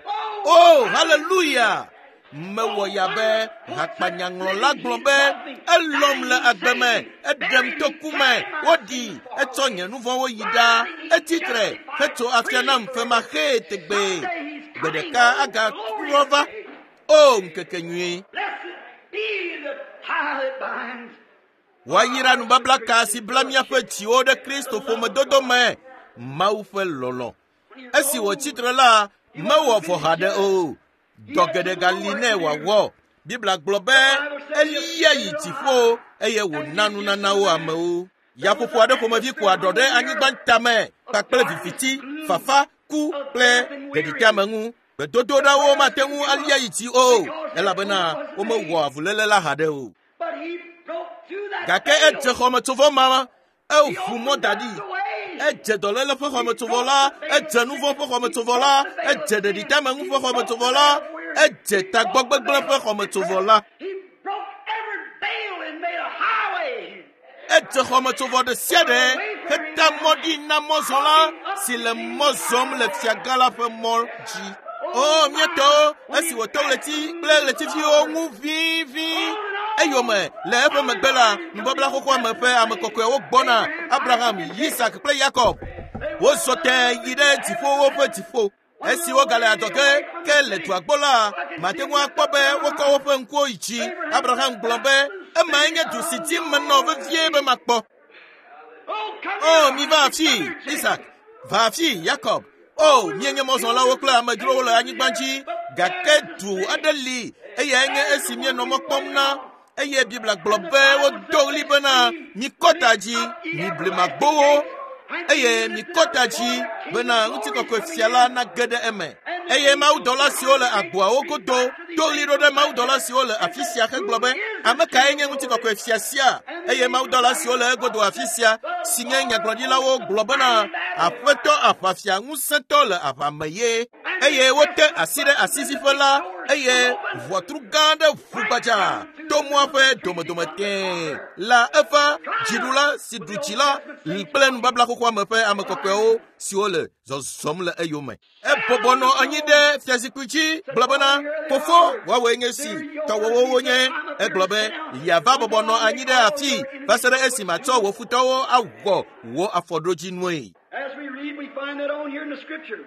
O, haleluya! Mewɔ ya be hakpanyaŋlɔla gblɔ be elɔm le agbe me, eɖem to ku me, woɖi, etsɔ nye nu vɔ̃wo yi ɖa, etsi tre hetso afia nam femaxee tegbee. Gbe ɖeka agatrɔ va. O, ŋkeke nyui! Blessed be the tie that binds. Woayra nubabla ka si bla míaƒe dziwo ɖe Kristo ƒomedodo me, Mawu ƒe lɔlɔ̃. Esi wòtsi tre la, mewɔ vɔ haɖe o. Dɔ geɖe gali nɛ wòawɔ. Biblia gblɔ be elia yi dziƒo eye wòna nunanawo amewo. Yaƒoƒo aɖe ƒomevi ƒo aɖɔ ɖe anyigba tame kpakple viviti, fafa, ku kple ɖeɖiteameŋu. Gbedodoɖawo mate ŋu alia yi dzi o, elabena womewɔ avuléle la haɖe o. But he broke through that Gake veil. edze xɔmetsovɔ ma, eʋu mɔ da ɖi. Edze dɔléle ƒe xɔmetsovɔ la, edze nu vɔ̃ ƒe xɔmetsovɔ la, edze ɖeɖiteameŋu ƒe xɔmetsovɔ la, edze tagbɔgbegblẽ ƒe xɔmetsovɔ la. He broke every veil and made a highway. Edze xɔmetsovɔ ɖe sia ɖe heta mɔ ɖi na mɔzɔla si le mɔ zɔm le fiagã la ƒe mɔ dzi. O, míetɔwo, esi wòto ɣleti kple ɣletiviwo ŋu vivi. Eyome le eƒe megbe la, nubabla xoxoa me ƒe ame kɔkɔewo gbɔna, Abraham, Isak kple Yakob. Wozɔ tẽe yi ɖe dziƒowo ƒe dziƒo. Esi wogale adzɔge ke le dua gbɔ la, mate ŋu akpɔ be wokɔ woƒe ŋkuwo yi dzi. Abraham gblɔ be, emae nye du si dim menɔ vevie be makpɔ. Oh, come O, here, mi va afii, Isak, va afii, Yakob. O, mienye mɔzɔlawo kple amedzrowo le anyigba dzi, gake du aɖe li eyae nye esi míenɔ mɔ kpɔm na. Eye Biblia gblɔ be wodo ɣli bena, mikɔ ta dzi, mi blemagbowo, eye mikɔ ta dzi bena ŋutikɔkɔe fia la nage ɖe eme. Eye mawudɔla siwo le agboawo godo do ɣli ɖo ɖe mawudɔla siwo le afi sia hegblɔ be, ame kae nye ŋutikɔkɔe fia sia? Eye mawudɔla siwo le egodo afi sia, si nye nyagblɔɖilawo gblɔ bena, Aƒetɔ aʋafia ŋusẽtɔ le aʋame ye eye wote asi ɖe asiziƒe la eye ʋɔtru gã aɖe ʋu gbadza to mɔa ƒe domedome tẽe la eva dziɖula si ɖu dzi la kple nubabla xoxoa me ƒe ame kɔkɔewo siwo le zɔzɔm le eyome. Ebɔbɔ nɔ anyi ɖe fiazikpui dzi gblɔ bena fofo woawoe nye si tɔwɔwo wonye. Egblɔ be yeava bɔbɔ nɔ anyi ɖe afi va se ɖe esime atsɔ wò futɔwo awɔ wò afɔɖodzinue. As we read, we find that on here in the scripture.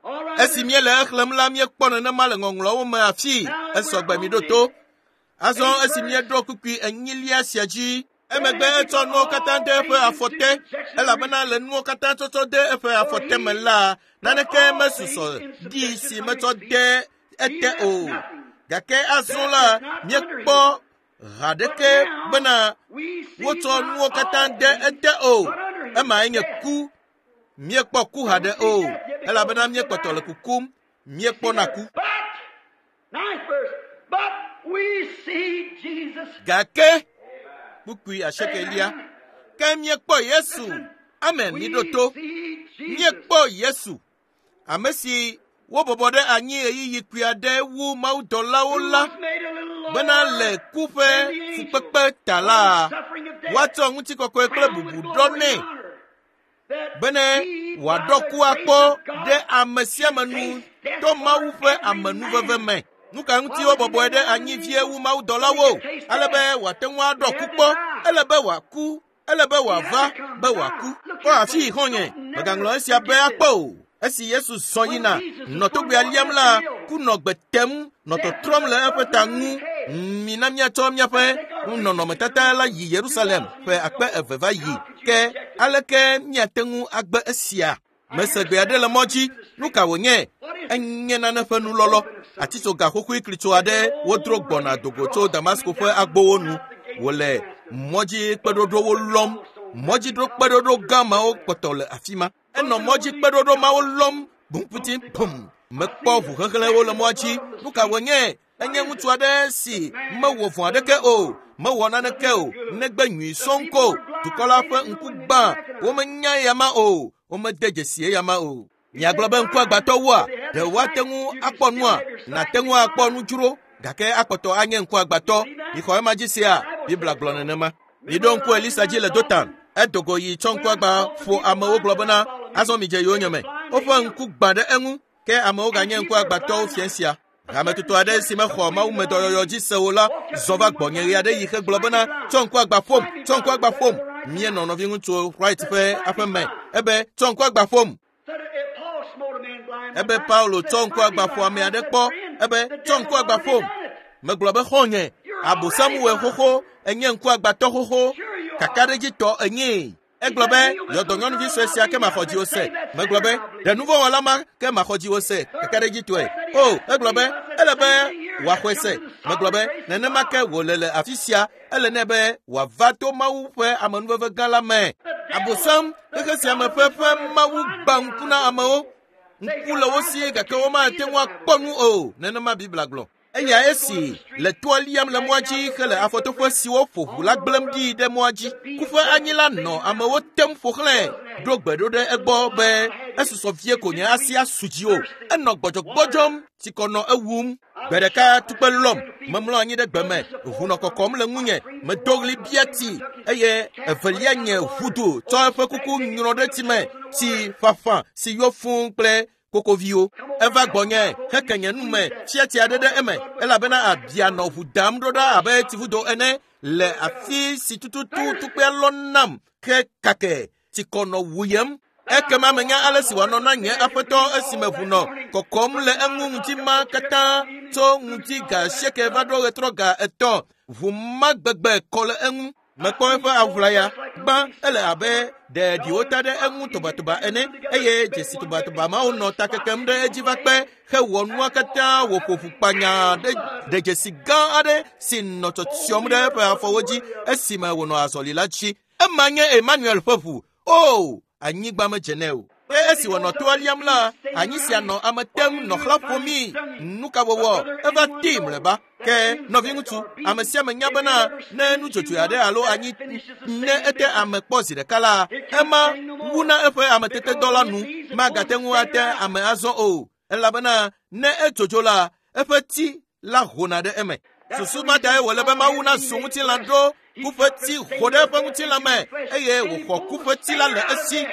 All right. Esi míele exlẽm la míekpɔ nenema le ŋɔŋlɔawo me afi esɔgbe mi ɖo to. Azɔ esi míeɖo kpukpui enyilia sia dzi emegbe etsɔ nuwo katã de eƒe afɔ te elabena le nuwo katã tsɔtsɔ de eƒe afɔ te me la naneke mesusɔ ɖi si metsɔ de ete o. Gake azɔ la míekpɔ haɖeke bena We see wotsɔ not nuwo katã all de things, ete o. but under him Emae nye death. ku. Míekpɔ ku haɖe o elabena míekpɔtɔ le kukum. Míekpɔna ku. But, ninth verse, but we see Jesus. Gake kpukpui asiekelia ke míekpɔ Yesu. Amen. We Miɖo to. see Jesus. Míekpɔ Yesu, ame si wobɔbɔ ɖe anyi ɣeyiɣi kpui aɖe wu mawudɔlawo Who la was made a little lower bena le ku ƒe than the angels, fukpekpe ta la for the suffering of death, woatsɔ ŋutikɔkɔe kple crowned bubu with ɖɔ glory nɛ and honor, that bene he, by wòaɖɔ the ku grace akpɔ of God, ɖe ame sia ame nu to Mawu ƒe amenuveve me. Nu ka ŋuti wobɔbɔe ɖe anyi vie wu mawudɔlawo ale be wòate ŋu aɖɔ ku kpɔ? Ele be wòaku, ele be wòava be wòaku. Kpɔ afi xɔ̃nye, mègaŋlɔ esia be akpɔ o. Esi Yesu zɔ yina nɔ togbea liam la, ku nɔ gbe tem nɔ tɔtrɔm le eƒe ta ŋu. Mina míatsɔ míaƒe nɔnɔmetata la yi Yerusalem ƒe akpe eve va yi. Ke aleke míate ŋu agbe esia? Mese gbe aɖe le mɔ dzi. Nu ka wònye? Enye nane ƒe nulɔlɔ. Atitsoga xoxoe klitso aɖe wodro gbɔna dogo tso Damasko ƒe agbowo nu. Wòle mɔdzikpeɖoɖowo lɔm. Mɔdzikpeɖoɖo gã mawo kpɔtɔ le afi ma. Enɔ mɔdzikpeɖoɖo mawo lɔm bumputi bum. Mekpɔ ʋuxexlẽwo le mɔa dzi. Nu ka wònye? Enye ŋutsu aɖe si mewɔ vɔ̃ aɖeke o, mewɔ naneke o, negbe nyui sɔŋ ko. Dukɔ la ƒe ŋku gbã, womenya eyama o, womede dzesi eyama o. Miagblɔ be ŋkuagbãtɔwoa, ɖe woate ŋu akpɔ nua? Nàte ŋu akpɔ nu dzro, gake akpɔtɔ anye ŋkuagbãtɔ. Mixɔ ema dzi sia, Biblia gblɔ nenema. Miɖo ŋku Elisa dzi le Dotan. Edo go yi tsɔ ŋkuagbã ƒo amewo gblɔ bena, azɔ midze yonyeme. Woƒe ŋku gbã ɖe eŋu, ke amewo ganye ŋkuagbãtɔwo fiẽ sia. Hametoto aɖe si mexɔ mawumedɔyɔyɔ dzi se o la zɔ va gbɔnye ɣe aɖe yi hegblɔ bena tsɔ ŋkuagbã ƒom, tsɔ ŋkuagbã ƒom. Míenɔ nɔviŋutsu Wright ƒe aƒe me. Ebe tsɔ ŋkuagbã ƒom. Said, eh, Paul smote a man blind one Ebe time. Paulo Said, tsɔ ŋkuagbã "Find ƒo ame me aɖe blind." kpɔ. Said, Ebe "Friend, the tsɔ devil ŋkuagbã already ƒom. done it." Megblɔ be xɔ̃nye, Abosam wɔe xoxo, enye ŋkuagbãtɔ xoxo. Kakaɖedzitɔ enyee. Egblɔ be yɔdɔ nyɔnuvi sue sia ke maxɔ dziwò se. Megblɔ be ɖe nuvɔ̃wɔla ma ke maxɔ dziwò se. Kakaɖedzitɔe. O, egblɔ be ele be wòaxɔe se. Megblɔ be nenema ke wòle le afi sia. Ele nɛ be wòava to Mawu ƒe amenuveve gã la me. Abosam xexe sia me ƒe ƒe Mawu gbã ŋku na amewo. Ŋku le wo si gake womate ŋu akpɔ nu o. Nenema Biblia gblɔ. Eya esi le toa liam le mɔa dzi hele afɔtoƒe siwo ƒo ʋu la gblẽm ɖi ɖe mɔa dzi. Kuƒe anyi la nɔ amewo tem ƒo xlãe ɖo gbe ɖo ɖe egbɔ be esusɔ vie ko nye asi asu dzi o. Enɔ gbɔdzɔgbɔdzɔm, tsikɔ nɔ ewum. Gbe ɖeka tukpe lɔm, memlɔ anyi ɖe gbe me, ʋu nɔ kɔkɔm le ŋunye, medo ɣli bia tsi eye evelia nye ʋudu tsɔ eƒe kuku nyrɔ ɖe tsi me, tsi ƒaƒã si yɔ fũu kple kokoviwo. Eva gbɔnye heke nye nu me tsiatsia aɖe ɖe eme elabena abia nɔ ʋu dam ɖo ɖa abe tsivudo ene le afi si tututu tukpea lɔ nam ke kake tsikɔ nɔ wuyem. Ekema menya ale si wòanɔ na nye aƒetɔ esime ʋu nɔ kɔkɔm le eŋu ŋuti ma katã tso ŋuti ga asieke va ɖo ɣetrɔ ga etɔ̃. Ʋu ma gbegbe kɔ le eŋu. Mekpɔ eƒe aʋlaya gbã ele abe ɖe ɖiwo ta ɖe eŋu tobatoba ene eye dzesi tobatoba mawo nɔ ta kekem ɖe edzi va kpe hewɔ nua katã wòƒo ƒu kpanya ɖe ɖe dzesi gã aɖe si nɔ tsɔtsiɔm ɖe eƒe afɔwo dzi esime wònɔ azɔli la dzi. Ema nye Emmanuel ƒe ʋu. O, anyigba medze nɛ o. Ke esi wònɔ toa liam la, anyi sia nɔ ame tem nɔ xlã ƒomii. Nu ka wòwɔ? Eva tee mlɔeba. Ke nɔviŋutsu, ame sia ame nya bena ne nudzodzoe aɖe alo anyi ne ete ame kpɔ zi ɖeka la, ema wuna eƒe ametetedɔ la nu. Magate ŋu ate ame azɔ o, elabena ne edzodzo la, eƒe ti la hona ɖe eme. Susu ma tae wòle be Mawu nazu ŋutilã ɖo ku ƒe ti ho ɖe eƒe ŋutilã me eye wòxɔ ku ƒe ti la le esi.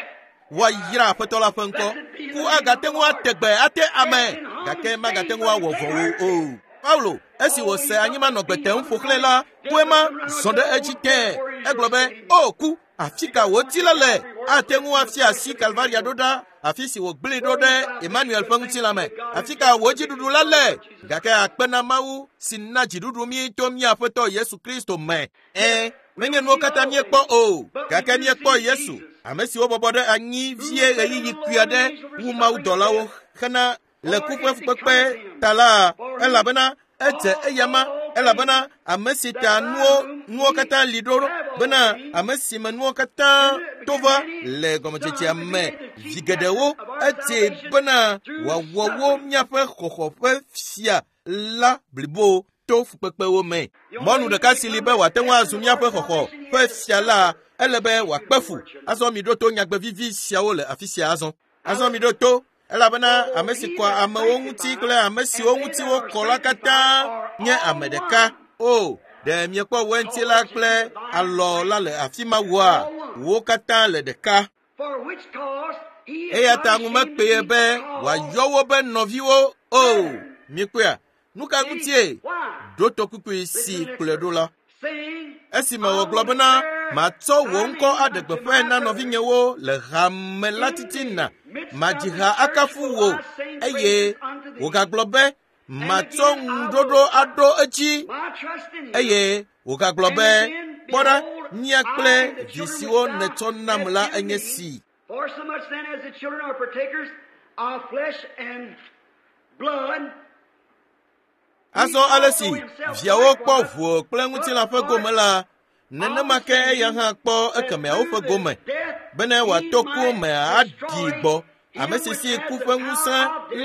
Woayra Aƒetɔ la ƒe ŋkɔ. Ku agate ŋu ate gbe ate ame, gake magate ŋu awɔ vɔ̃ wò o. Paulo, esi wòse anyima nɔ gbe tem ƒo xlãe la, kue ma zɔ ɖe edzi tẽe. Egblɔ be, “O ku, afi ka wò ti la le?” Ate ŋu afia asi Kalvaria ɖo ɖa, afi si wògblẽe ɖo ɖe Emmanuel ƒe ŋutilã me. Afi ka wò dziɖuɖu la le? Gake akpe na Mawu si na dziɖuɖu mí to mía Aƒetɔ Yesu Kristo me. Ẽ, menye nuwo katã míekpɔ o, gake míekpɔ Yesu, ame si wobɔbɔ ɖe anyi vie ɣeyiɣi kpui aɖe wu mawudɔlawo hena le ku ƒe fukpekpe ta la, elabena edze eyama, elabena ame si ta nuwo nuwo katã li ɖo bena ame si me nuwo katã to va le gɔmedzedzea me vi geɖewo, edze bena wòawɔ wo míaƒe xɔxɔ ƒe fia la blibo to fukpekpewo me. Mɔnu ɖeka si li be wòate ŋu azu míaƒe xɔxɔ ƒe fia la, ele be wòakpe fu. Azɔ miɖo to nyagbe vivi siawo le afi sia azɔ. Azɔ miɖo to, elabena ame si kɔa amewo ŋuti kple ame siwo ŋuti wokɔ la katã nye ame ɖeka. O, ɖe miekpɔ wɛnti la kple alɔ la le afi ma woa? Wo katã le ɖeka. Eya ta ŋu mekpee be wòayɔ wo be nɔviwo o. Miekpɔea? Nu ka ŋutie? Ɖo to kpukpui si kplɔe ɖo la. Esime wògblɔ bena, matsɔ wò ŋkɔ aɖe gbeƒãe na nɔvinyewo le hame la titina, madzi ha akafu wò, eye wògagblɔ be, matsɔ ŋuɖoɖo aɖo edzi, eye wògagblɔ be, kpɔ ɖa, mía kple vi siwo nètsɔ nam la enye si. For so much then as the children are partakers of flesh and blood, Azɔ ale si viawo kpɔ ʋu kple ŋutilã ƒe gome la, nenema ke eya hã kpɔ ekemeawo ƒe gome, bene wòato ku me aɖi gbɔ ame si si ku ƒe ŋusẽ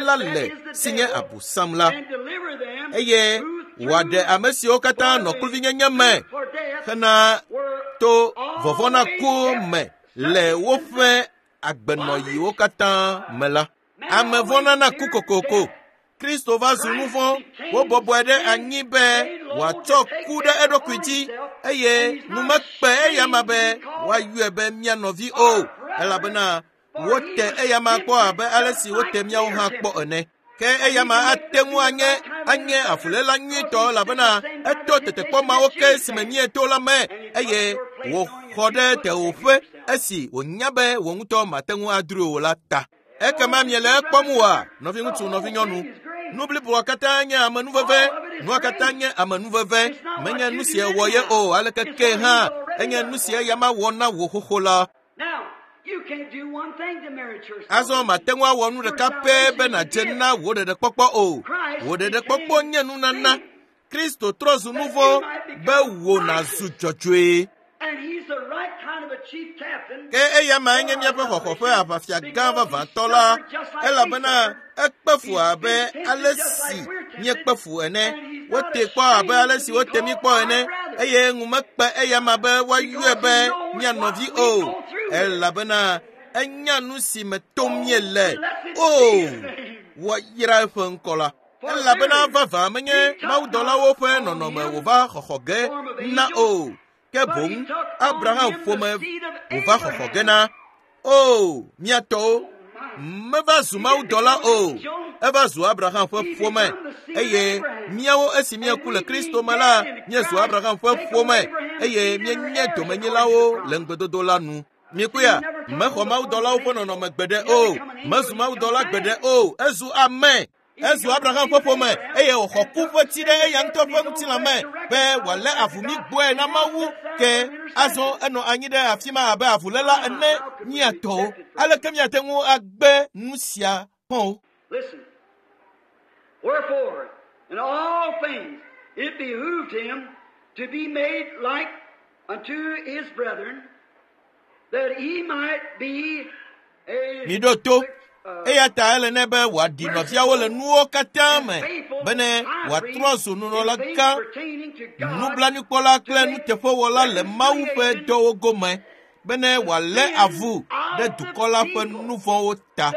la le, si nye Abosam la, and deliver them eye wòaɖe ame siwo katã nɔ kluvinyenye me for death hena were to vɔvɔ̃ na ku me le woƒe agbenɔɣiwo katã me la. Ame vɔ̃na na ku kokoko. Kristo va zu nu vɔ̃, wobɔbɔe ɖe anyi be wòatsɔ ku ɖe eɖokui dzi, eye nu mekpe eyama be woayɔe be mía nɔvi o, elabena wote eyama kpɔ abe ale si wote míawo hã kpɔ ene. Ke eyama ate ŋu anye anye avuléla nyuitɔ elabena eto tetekpɔ mawo ke si me míeto la me, eye wòxɔ ɖe tewòƒe esi wònya be wò ŋutɔ mate ŋu adroe o la ta. Ekema miele ekpɔm oa, nɔviŋutsu, nɔvinyɔnu? Nu bliboa katã nye amenuveve, nua katã nye amenuveve. Menye nu si ewɔ ye o, aleke ke hã enye nu si eyama wɔ na wò xoxo la. Now, you can't do one thing to merit your Azɔ mate ŋu awɔ nu ɖeka pɛ be nàdze na wò ɖeɖekpɔkpɔ o. Wò ɖeɖekpɔkpɔ nye nunana. Kristo trɔ zu nu vɔ̃ be wò nàzu dzɔdzɔe. And he's the right kind of a chief captain. Ke eyama nye míaƒe xɔxɔ ƒe aʋafia gã vavãtɔ la, elabena ekpe fu abe ale si míekpe fu ene. Wote kpɔ abe ale si wote mí kpɔ ene, eye ŋu mekpe eyama be woayɔe be mía nɔvi o, elabena enya nu si me tom míele. O, woayra eƒe ŋkɔ la. Elabena vavã menye mawudɔlawo ƒe nɔnɔme wòva xɔxɔ ge na o, ke boŋ Abraham ƒome wòva xɔxɔ ge na. O, mía tɔwo, meva zu mawudɔla o, eva zu Abraham ƒe ƒome, eye míawo esi míeku le Kristo me la, míezu Abraham ƒe ƒome, eye míenye domenyilawo le ŋugbedodo la nu. Mikpɔea, mexɔ mawudɔlawo ƒe nɔnɔme gbeɖe o, mezu mawudɔla gbeɖe o, ezu ame. Ezu Abraham ƒe ƒome, eye wòxɔ ku ƒe ti ɖe eya ŋutɔ ƒe ŋutilã me be wòalé avu mí gbɔe na Mawu. Ke azɔ enɔ anyi ɖe afi ma abe avuléla ene mía tɔwo. Aleke míate ŋu agbe nu sia hã o? Listen. Wherefore, in all things, it behooved him to be made like unto his brethren, that he might be Miɖo to. Eya ta ele nɛ be wòaɖi nɔviawo le nuwo katã me bene wòatrɔ zu nunɔlagã, nublanuikpɔla kple nuteƒewɔla le Mawu ƒe dɔwo gome bene wòalé avu ɖe dukɔ la ƒe nu vɔ̃wo ta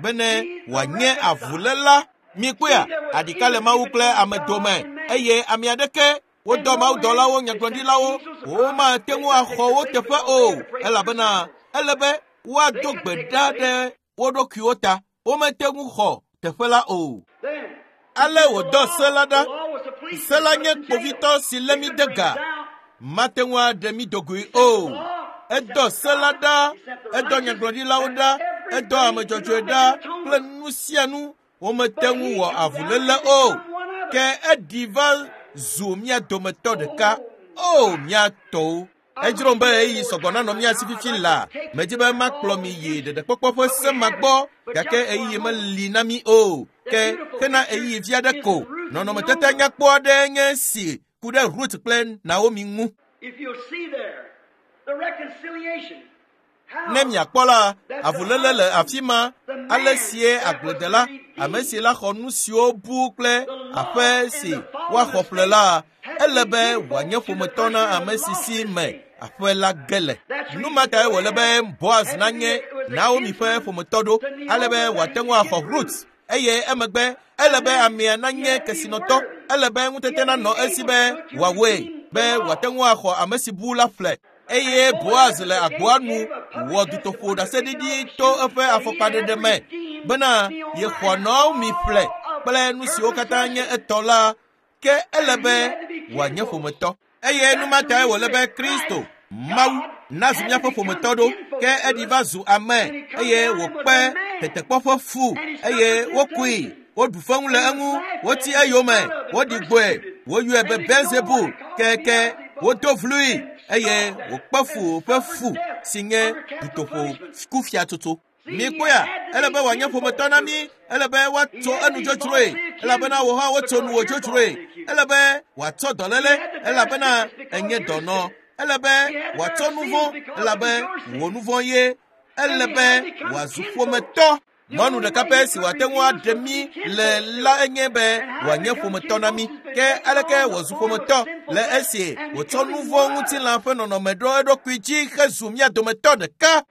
bene wòanye avuléla. Mikpɔea, aɖika le Mawu kple ame dome eye ame aɖeke wodɔ mawudɔlawo, nyagblɔɖilawo, womate ŋu axɔ wo teƒe o elabena ele be woado gbe ɖa ɖe wo ɖokuiwo ta. Womete ŋu xɔ teƒe la o. Ale wòdɔ se la ɖa. Se la nye kpovitɔ si lé mí de ga. Mate ŋu aɖe mí dogoe o. Edɔ se la ɖa, edɔ nyagblɔɖilawo ɖa, edɔ ame dzɔdzɔe ɖa kple nu sia nu. Womete ŋu wɔ avuléle o. Ke eɖi va zu mía dometɔ ɖeka. O, mía tɔwo. Edzrom be ɣeyiɣi sɔgbɔ nanɔ mía si fifi la. Medzi be makplɔ mi yi ɖeɖekpɔkpɔ ƒe se ma gbɔ gake ɣeyiɣi meli na mí o. Ke hena ɣeyiɣi vi aɖe ko. Nɔnɔmetata nyakpɔ aɖe nye si ku ɖe Ruth kple Naomi ŋu. If you'll see there, the reconciliation. How Ne miakpɔ la, avuléle le afi ma ale sie agbledela, ame si la xɔ nu siwo bu kple aƒe si woaxɔ ƒle la, ele be wòanye ƒometɔ na ame si si me aƒe la ge le. Nu ma tae wòle be Boaz nanye Naomi ƒe ƒometɔ ɖo, ale be wòate ŋu axɔ Ruth eye emegbe ele be amea nanye kesinɔtɔ, ele be ŋutete nanɔ esi be wòawɔe be wòate ŋu axɔ ame si bu la ƒle. Eye Boaz le agboa nu wɔ dutoƒo ɖaseɖiɖi to eƒe afɔkpaɖeɖe me bena yexɔ Naomi ƒle kple nu siwo katã nye etɔ la, ke ele be wòanye ƒometɔ. Eye nu ma tae wòle be Kristo, Mawu, nazu míaƒe ƒometɔ ɖo, ke eɖi va zu ame eye wòkpe tetekpɔ ƒe fu eye wokui, woɖu fewu le eŋu, woti eyome, woɖi gbɔe, woyɔe be Belzebul, keke wodo vlui eye wòkpe fu ƒe fu si nye dutoƒo kufiatsotso. Mikpɔea, ele be wòanye ƒometɔ na mí, ele be woatso enu dzodzroe, elabena wò hã wotso nuwò dzodzroe, ele be wòatsɔ dɔléle, elabena enye dɔnɔ, ele be wòatsɔ nu vɔ̃, elabe wò nu vɔ̃ ye, ele be wòazu ƒometɔ. Mɔnu ɖeka pɛ si wòate ŋu aɖe mí le la enye be wòanye ƒometɔ na mí. Ke aleke wòzu ƒometɔ le esi wòtsɔ nu vɔ̃ ŋutilã ƒe nɔnɔme ɖo eɖokui dzi hezu mía dometɔ ɖeka.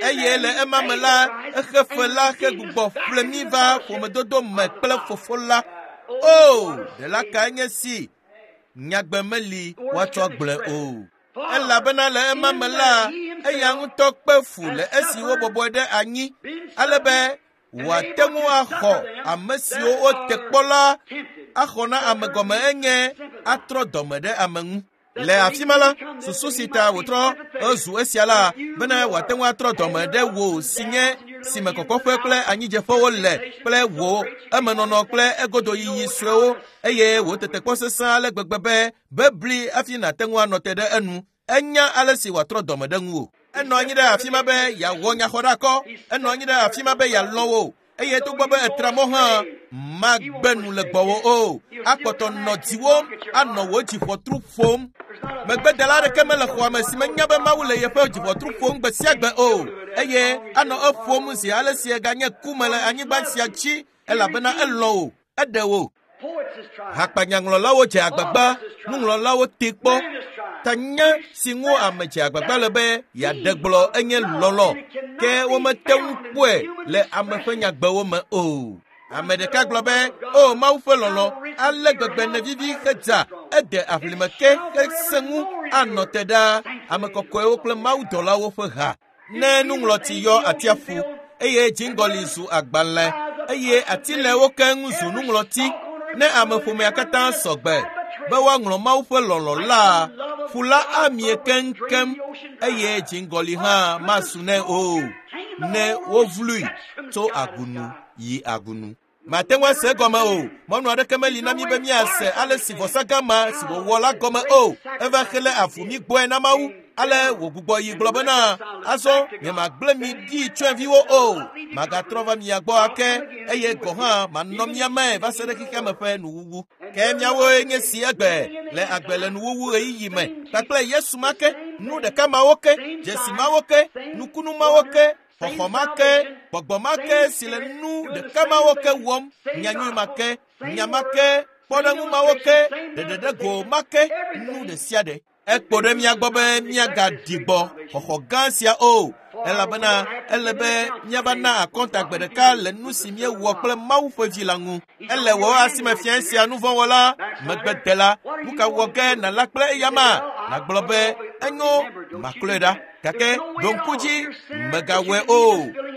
Eye le ema me la, exe fe la hegbugbɔ ƒle mí va ƒomedodo me kple fofo la. O, ɖela kae nye si nyagbe meli woatsɔ agblɔe o. Elabena le ema me la, eya ŋutɔ kpe fu le esi wobɔbɔe ɖe anyi ale be wòate ŋu axɔ ame siwo wote kpɔ la axɔ na ame gɔme enye atrɔ dɔme ɖe ame ŋu. Le afi ma la, susu si ta wòtrɔ ezu esia la bena wòate ŋu atrɔ dɔme ɖe wò si nye sime kɔkɔƒe kple anyidzeƒewo le kple wò emenɔnɔ kple egodoyiyi suewo eye wò tetekpɔ sesẽ ale gbegbe be bebli hafi nàte ŋu anɔ te ɖe enu. Enya ale si wòatrɔ dɔme ɖe ŋuwò. Enɔ anyi ɖe afi ma be yeawɔ nyaxɔɖakɔ, enɔ anyi ɖe afi ma be yealɔ̃ wò eye togbɔ be etra mɔ hã magbe nu le gbɔwò o. Akpɔtɔ nɔ dziwòm, anɔ wò dziƒɔtru ƒom. Megbedela aɖeke mele xɔa me si menya be Mawu le yeƒe dziƒɔtru ƒom gbe sia gbe o eye anɔ eƒom zi ale si eganye ku me le anyigba sia dzi elabena elɔ̃ wò, eɖe wò. Poets has tried. Hakpanyaŋlɔlawo dze agbagba, nuŋlɔlawo te kpɔ. Tanya si ŋu ame dze agbagba le be yeaɖe gblɔ enye lɔlɔ̃, ke womete ŋu kpɔe le ame ƒe nyagbewo me o. Ame ɖeka gblɔ be, o Mawu ƒe lɔlɔ̃, ale gbegbe nevivi hedza, ede aʋlime ke hesẽ ŋu anɔ te ɖaa ame kɔkɔewo kple mawudɔlawo ƒe ha. Ne nuŋlɔti yɔ atsiaƒu eye dziŋgɔli zu agbalẽ eye atilɛwo keŋ zu nuŋlɔti, ne ameƒomea katã sɔgbe be woaŋlɔ Mawu ƒe lɔlɔ̃ la, ƒu la amie keŋkeŋ eye dziŋgɔli hã masu nɛ o ne wovlui tso agunu yi agunu. Mate ŋu ase egɔme o. Mɔnu aɖeke meli na mí be míase ale si vɔsagã ma si wòwɔ la gɔme o. Eva xlẽ avu mí gbɔe na Mawu. Ale wògbugbɔ yi gblɔ bena, azɔ nyemagblẽ mi ɖi tsyɔ̃eviwo o. Magatrɔ va mia gbɔ ake eye gɔ̃ hã manɔ mia me va se ɖe xexea me ƒe nuwuwu. Ke miawoe nye si egbe le agbe le nuwuwu ɣeyiɣi me kpakple Yesu ma ke, nu ɖeka mawo ke, dzesi mawo ke, nukunu mawo ke, Xɔxɔ ma ke, gbɔgbɔ ma ke si le nu ɖeka mawo ke wɔm, nyanyui ma ke, nya ma ke, kpɔɖeŋu mawo ke, ɖeɖeɖe go ma ke, nu ɖe sia ɖe. Ekpo ɖe mía gbɔ be míagaɖi gbɔ xɔxɔ gã sia o, elabena ele be míava na akɔnta gbe ɖeka le nu si míewɔ kple Mawu ƒe vi la ŋu. Ele wò asime fia sia nuvɔ̃wɔla, megbedela, nu ka wɔ ge nàla kple eyama? Nàgblɔ be enyo, maklɔe ɖa. Gake ɖo ŋku dzi, mègawɔe o.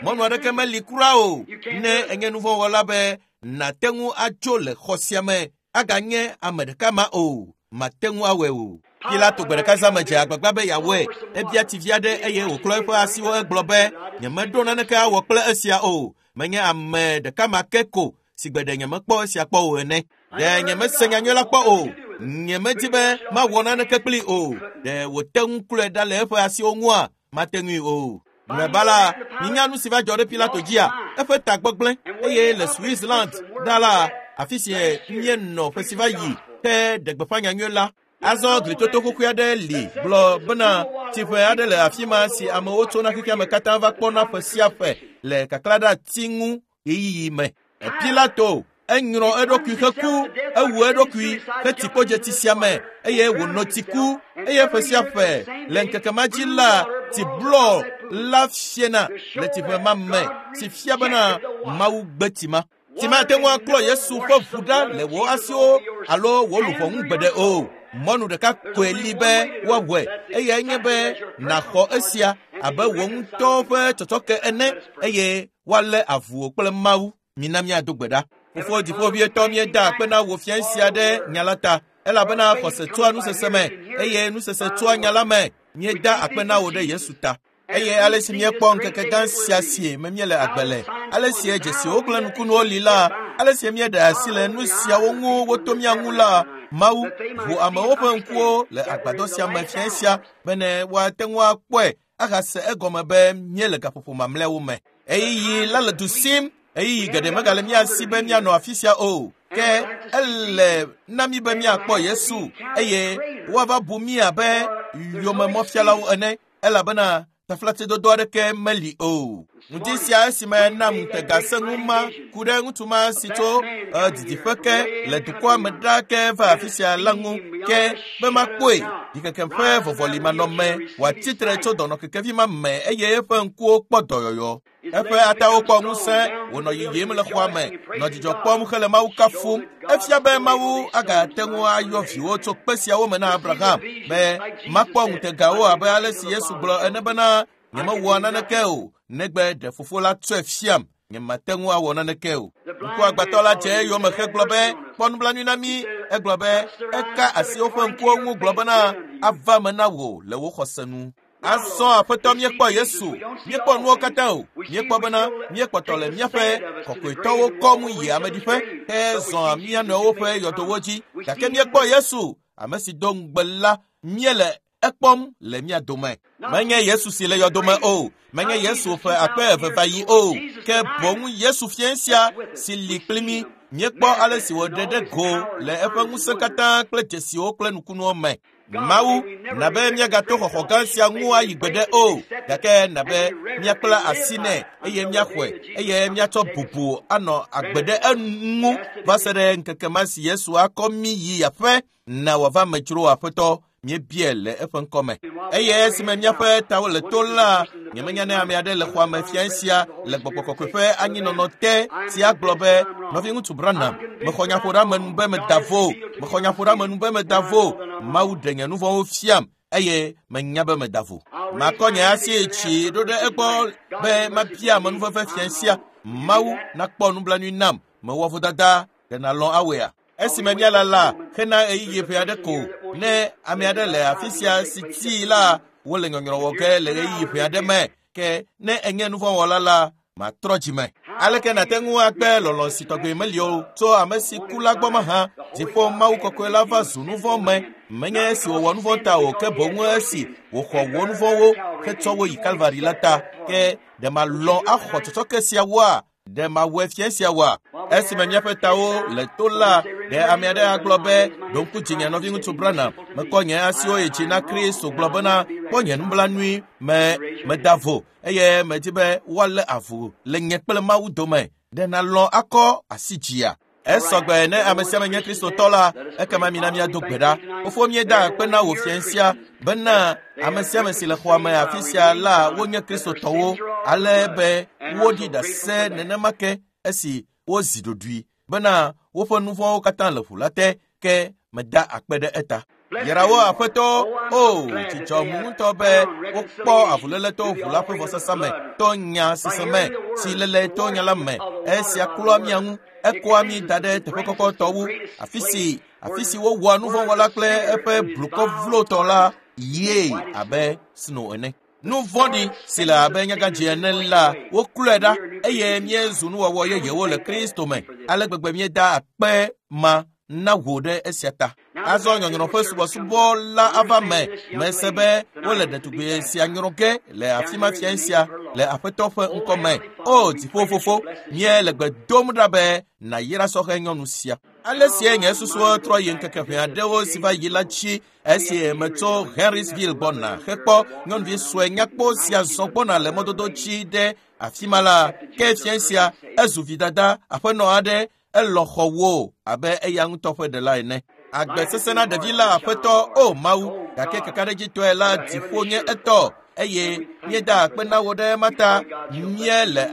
Mɔnu aɖeke meli kura o. Ne enye nuvɔ̃wɔla be nàte ŋu atso le xɔ sia me aganye ame ɖeka ma o, mate ŋu awɔe o. Pilato gbe ɖeka zã me dze agbagba be yeawɔe. Ebia tsivi aɖe eye wòklɔ eƒe asiwo egblɔ be, nyemeɖo naneke awɔ kple esia o. Menye ame ɖeka ma ke ko si gbe ɖe nyemekpɔ esia kpɔ o ene. Ɖe nyemese nyanyui la kpɔ o. Nyemedi be mawɔ naneke kplii o. Ɖe wòte ŋu klɔe ɖa le eƒe asiwo ŋua? Mate ŋui o. Mlɔeba la, minya nu si va dzɔ ɖe Pilato dzia? Eƒe tagbɔ gblẽ eye le Switzerland ɖa la, afi si míenɔ ƒe si va yi ke ɖe gbeƒã nyanyui la. Azɔ glitoto xoxoe aɖe li gblɔ bena tsiƒe aɖe le afi ma si amewo tsona xexea me katã va kpɔna ƒe sia ƒe le kaklaɖati ŋu ɣeyiɣi me. Pilato enyrɔ eɖokui heku, ewu eɖokui hetsi kpodzetsi sia me eye wònɔ tsi ku eye ƒe sia ƒe le ŋkeke ma dzi la tsi blɔ la fiena le tsiƒe ma me si fia bena Mawu gbe tsi ma. Tsi mate ŋu aklɔ Yesu ƒe ʋu ɖa le wò asiwo alo wò luʋɔ ŋu gbeɖe o. Mɔnu ɖeka koe li be woawɔe eyae nye be nàxɔ esia abe wò ŋutɔ ƒe tsɔtsɔke ene eye woalé avu wò kple Mawu. Mina míado gbe ɖa. Fofo dziƒovietɔ, míeda akpe na wò fia sia ɖe nya la ta, elabena xɔse tsoa nusese me eye nusese tsoa nya la me. Míeda akpe na wò ɖe Yesu ta. Eye ale si míekpɔ ŋkeke gã sia si me míele agbe le, ale si dzesiwo kple nukunuwo li la, ale si míeɖe asi le nu siawo ŋu woto mía ŋu la, Mawu ʋu amewo ƒe ŋkuwo le agbadɔ sia me fia sia bene woate ŋu akpɔe ahase egɔme be míele gaƒoƒo mamlɛawo me. Ɣeyiɣi la le du sim. Ɣeyiɣi geɖe megale mía si be míanɔ afi sia o. Ke ele na mí be míakpɔ Yesu eye woava bu mí abe yomemɔfialawo ene elabena taflatsedodo aɖeke meli o. Ŋdi sia esime na ŋutega sẽŋu ma ku ɖe ŋutsu ma si tso didiƒe ke le dukɔa me ɖa ke va afi sia la ŋu ke be makpɔe ɖikeke ƒe vɔvɔli manɔme wòatsi tre tso dɔnɔkekevi ma me eye eƒe ŋkuwo kpɔ dɔyɔyɔ. Eƒe atawo kpɔ ŋusẽ wònɔ yiyim le xɔa me, nɔ dzidzɔ kpɔm hele Mawu kafum. Efia be Mawu agate ŋu ayɔ viwo tso kpe siawo me na Abraham be makpɔ ŋutegawo abe ale si Yesu gblɔ ene bena nyemewɔa naneke o, negbe ɖe fofo la tsɔe fiam. Nyemate ŋu awɔ naneke o. Ŋkuagbãtɔ la dze eyome hegblɔ be, kpɔ nublanui na mí. Egblɔ be, eka asi woƒe ŋkuwo ŋu gblɔ bena, ava me na wò le wò xɔse nu. Azɔ aƒetɔ míekpɔ Yesu, míekpɔ nuwo katã o. Míekpɔ bena míekpɔtɔ le míaƒe kɔkɔetɔwo kɔm yi ameɖiƒe hezɔa mía nɔewo ƒe yɔdowo dzi. Gake míekpɔ Yesu, ame si do ŋugbe la, míele ekpɔm le mía dome. Menye Yesu si le yɔdome o, menye Yesu ƒe akpe eve va yi o, ke boŋ Yesu fia sia si li kpli mí. Míekpɔ ale si wòɖe ɖe go le eƒe ŋusẽ katã kple dzesiwo kple nukunuwo me. Mawu, na be míagato xɔxɔ gã sia ŋu ayi gbeɖe o, gake na be míakpla asi nɛ eye míaxɔe eye míatsɔ bubu anɔ agbe ɖe eŋu va se ɖe ŋkeke ma si Yesu akɔ mí yi aƒe na wòava medzro aƒetɔ míebia le eƒe ŋkɔme. Eye esime míaƒe tawo le to la, nyemenya ne ame aɖe le xɔa me fia sia le gbɔgbɔ kɔkɔe ƒe anyinɔnɔ te si agblɔ be, nɔviŋutsu Branham, mexɔ nyaƒoɖeamenu be meda vo, mexɔ nyaƒoɖeamenu be meda vo. Mawu ɖe nye nu vɔ̃wo fiam eye menya be meda vo. Makɔ nye asi tsi ɖo ɖe egbɔ be mabia amenuveve fia sia. Mawu nakpɔ nublanui nam, mewɔ vodada, ɖe nàlɔ̃ awɔea? Esime míalala hena ɣeyiɣi ʋɛ aɖe ko, ne ame aɖe le afi sia si tii la, wole nyɔnyrɔ wɔ ge le ɣeyiɣi ʋɛ aɖe me. Ke ne enye nuvɔ̃wɔla la, matrɔ dzime. Aleke nàte ŋu akpe lɔlɔ̃ si tɔgbe meli o tso ame si ku la gbɔ mahã? Dziƒo Mawu kɔkɔe la va zu nuvɔ̃ me. Menye esi wòwɔ nuvɔ̃ ta o, ke boŋ esi wòxɔ wò nuvɔ̃wo hetsɔ wo yi Kalvari la ta. Ke ɖe malɔ̃ axɔ tsɔtsɔke siawoa? Ɖe mawɔe fia sia wɔa? Esime míaƒe tawo le to la, ɖe ame aɖe agblɔ be, ɖo ŋku dzinye nɔviŋutsu Branham, mekɔ nye asiwo yi dzi na Kristo gblɔ bena, kpɔ nye nublanui me meda vo eye medi be woalé avu le nye kple Mawu dome. Ɖe nalɔ̃ akɔ asi dzia? Esɔgbe ne ame sia ame nye Kristotɔ la, ekema mina míado gbe ɖa. Fofo míeda akpe na wò fia sia bena ame sia ame si le xɔa me afi sia la wonye Kristotɔwo, ale be woɖi ɖase nenema ke esi wozi ɖoɖoe bena woƒe nu vɔ̃wo katã le ʋu la te, ke meda akpe ɖe eta. Yra wo Aƒetɔ, o dzidzɔ ŋutɔ be wokpɔ avuléle to ʋu la ƒe vɔsasa me, to nya sese me, si léle to nya la me. Esia klɔa mía ŋu, ekɔa mí da ɖe teƒe kɔkɔtɔ wu, afi si afi si wowɔa nuvɔ̃wɔla kple eƒe blukɔ vlotɔ la yie abe sno ene. Nu vɔ̃ɖi si le abe nyagãdzi ene la, woklɔe ɖa eye míezu nuwɔwɔ yeyewo le Kristo me. Ale gbegbe míeda akpe ma na wò ɖe esia ta. Azɔ nyɔnyrɔ ƒe subɔsubɔ la ava me. Mese be wole ɖetugbi sia nyrɔ ge le afi ma fia sia le Aƒetɔ ƒe ŋkɔ me. O dziƒo fofo, míele gbe dom ɖa be nàyra sɔhɛ nyɔnu sia. Ale sie nye susuwo trɔ yi ŋkeke ʋɛ aɖewo si va yi la dzi esi metso Henrysville gbɔna hekpɔ nyɔnuvi sue nyakpɔ sia zɔ gbɔna le mɔdodo dzi ɖe afi ma la, ke fia sia ezu vidada aƒenɔ aɖe elɔ xɔ wo abe eya ŋutɔ ƒe ɖela ene. Agbe sesẽ na ɖevi la Aƒetɔ, o Mawu, gake kakaɖedzitɔe la dziƒo nye etɔ eye míeda akpe na wò ɖe ema ta. Míele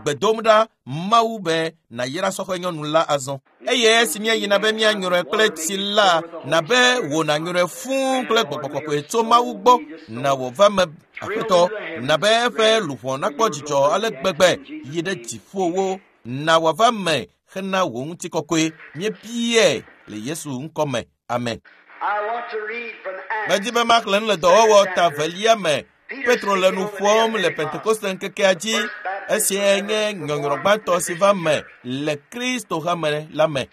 gbe dom ɖa Mawu be nàyra sɔhɛ nyɔnu la azɔ. Eye esi míeyina be míanyrɔe kple tsi la, na be wò nànyrɔe fũu kple gbɔgbɔ kɔkɔe tso Mawu gbɔ, na wòva me Aƒetɔ, na be eƒe luʋɔ nakpɔ dzidzɔ ale gbegbe yi ɖe dziƒowo, na wòava me hena wò ŋutikɔkɔe. Míebiae le Yesu ŋkɔ me. Amen. Medi be maxlẽ nu le dɔwɔwɔ ta velia me. Petro le nu ƒom le Pentekoste ŋkekea dzi. Esia nye nyɔnyrɔ gbãtɔ si va me le Kristo hame la me.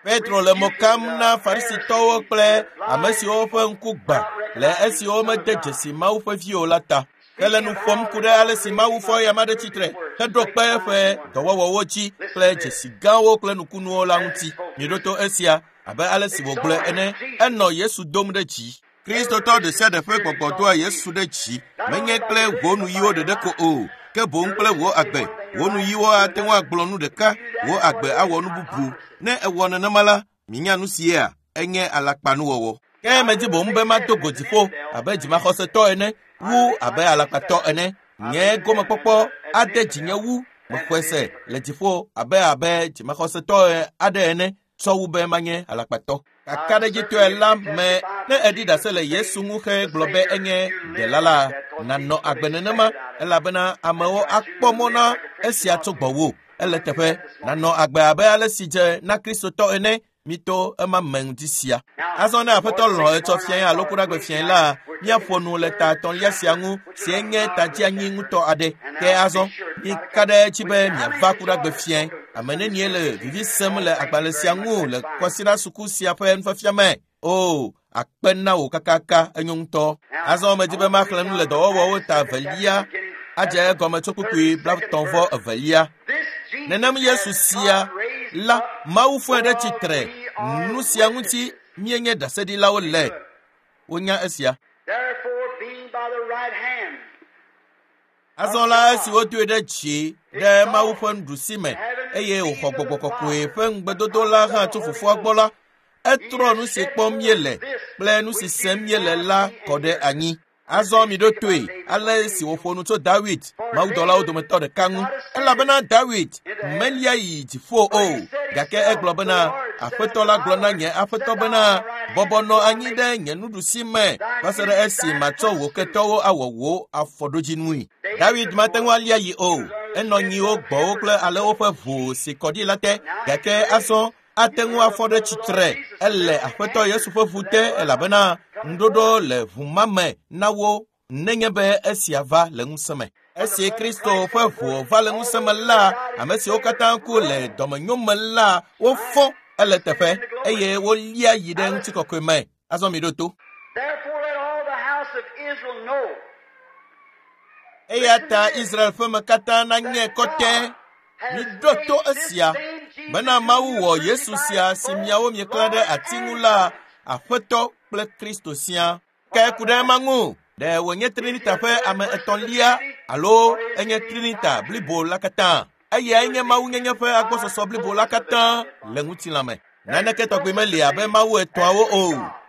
Petro le mo kam na Farisitɔwo kple ame siwo ƒe ŋku gbã le esi womede dzesi Mawu ƒe vi o la ta. Hele nu ƒom ku ɖe ale si Mawu fɔ eya ma ɖe tsitre heɖo kpe eƒe dɔwɔwɔwo dzi kple dzesi gãwo kple nukunuwo la ŋuti. Miɖo to esia abe ale si wògblɔe ene, enɔ Yesu dom ɖe dzi. Kristotɔ ɖe sia ɖe ƒe gbɔgbɔ doa Yesu ɖe dzi, menye kple wò nuyiwo ɖeɖe ko o, ke boŋ kple wò agbe. Wò nuyiwo ate ŋu agblɔ nu ɖeka, wò agbe awɔ nu bubu. Ne ewɔ nenema la, minya nu sia, enye alakpanuwɔwɔ. Ke medi boŋ be mado go dziƒo abe dzimaxɔsetɔ ene wu abe alakpatɔ ene. Nye gomekpɔkpɔ ade dzinye wu mexɔe se le dziƒo abe abe dzimaxɔsetɔ aɖe ene tsɔ wu be manye alakpatɔ. Kakaɖedzitɔe la me, ne eɖi ɖase le Yesu ŋu hegblɔ be enye ɖela la, nànɔ agbe nenema elabena amewo akpɔ mɔ na esia tso gbɔwò. Ele teƒe nànɔ agbe abe ale si dze na Kristotɔ ene. Mito ema me ŋuti sia. Azɔ ne Aƒetɔ lɔ̃ etsɔ fiae alo kuɖagbe fiae la, míaƒo nu le ta etɔ̃lia sia ŋu si nye tadzianyi ŋutɔ aɖe. Ke azɔ mika ɖe edzi be miava kuɖagbe fiae. Ame nenie le vivi sem le agbalẽ sia ŋu le kwasiɖa suku sia ƒe nufiafia me? O, akpe na wò kakaka, enyo ŋutɔ. Azɔ medi be maxlẽ nu le dɔwɔwɔwo ta evelia, adze egɔme tso kpukpui blaetɔ̃ vɔ evelia. Nenem Yesu sia la, Mawu fɔe ɖe tsitre. Nu sia ŋuti míenye ɖaseɖilawo le. Wonya esia. Azɔ la esi wodoe ɖe dzi ɖe Mawu ƒe nuɖusi me eye wòxɔ gbɔgbɔ kɔkɔe ƒe ŋugbedodo la hã tso fofoa gbɔ la, etrɔ nu si kpɔm míele kple nu si sem míele la kɔ ɖe anyi. Azɔ miɖo toe ale si wòƒo nu tso Dawid, mawudɔlawo dometɔ ɖeka ŋu. Elabena Dawid melia yi dziƒo o, gake egblɔ bena, Aƒetɔ la gblɔ na nye Aƒetɔ bena, bɔbɔ nɔ anyi ɖe nye nuɖusi me va se ɖe esi matsɔ wò ketɔwo awɔ wò afɔɖodzinui. Dawid mate ŋu alia yi o, enɔ nyiwo, gbɔ̃wo kple alẽwo ƒe ʋu si kɔ ɖi la te, gake azɔ ate ŋu afɔ ɖe tsitre. Ele Aƒetɔ Yesu ƒe ʋu te elabena ŋuɖoɖo le ʋu ma me na wo nenye be esia va le ŋusẽ me. Esi Kristo ƒe ʋu va le ŋusẽ me la, ame siwo katã ku le dɔmenyo me la, wofɔ ele teƒe eye wolia yi ɖe ŋutikɔkɔe me. Azɔ miɖo to. Eya ta Israel ƒe me katã nanye kɔtɛ Miɖo to esia bena Mawu wɔ Yesu sia si miawo mieklã ɖe ati ŋu la Aƒetɔ kple Kristo sia. Ke ku ɖe ema ŋu, ɖe wònye Trinita ƒe ame etɔ̃lia alo enye Trinita blibo la katã? Eyae nye Mawunyenye ƒe agbɔsɔsɔ blibo la katã le ŋutilã me. Naneke tɔgbi meli abe Mawu etɔ̃awo o.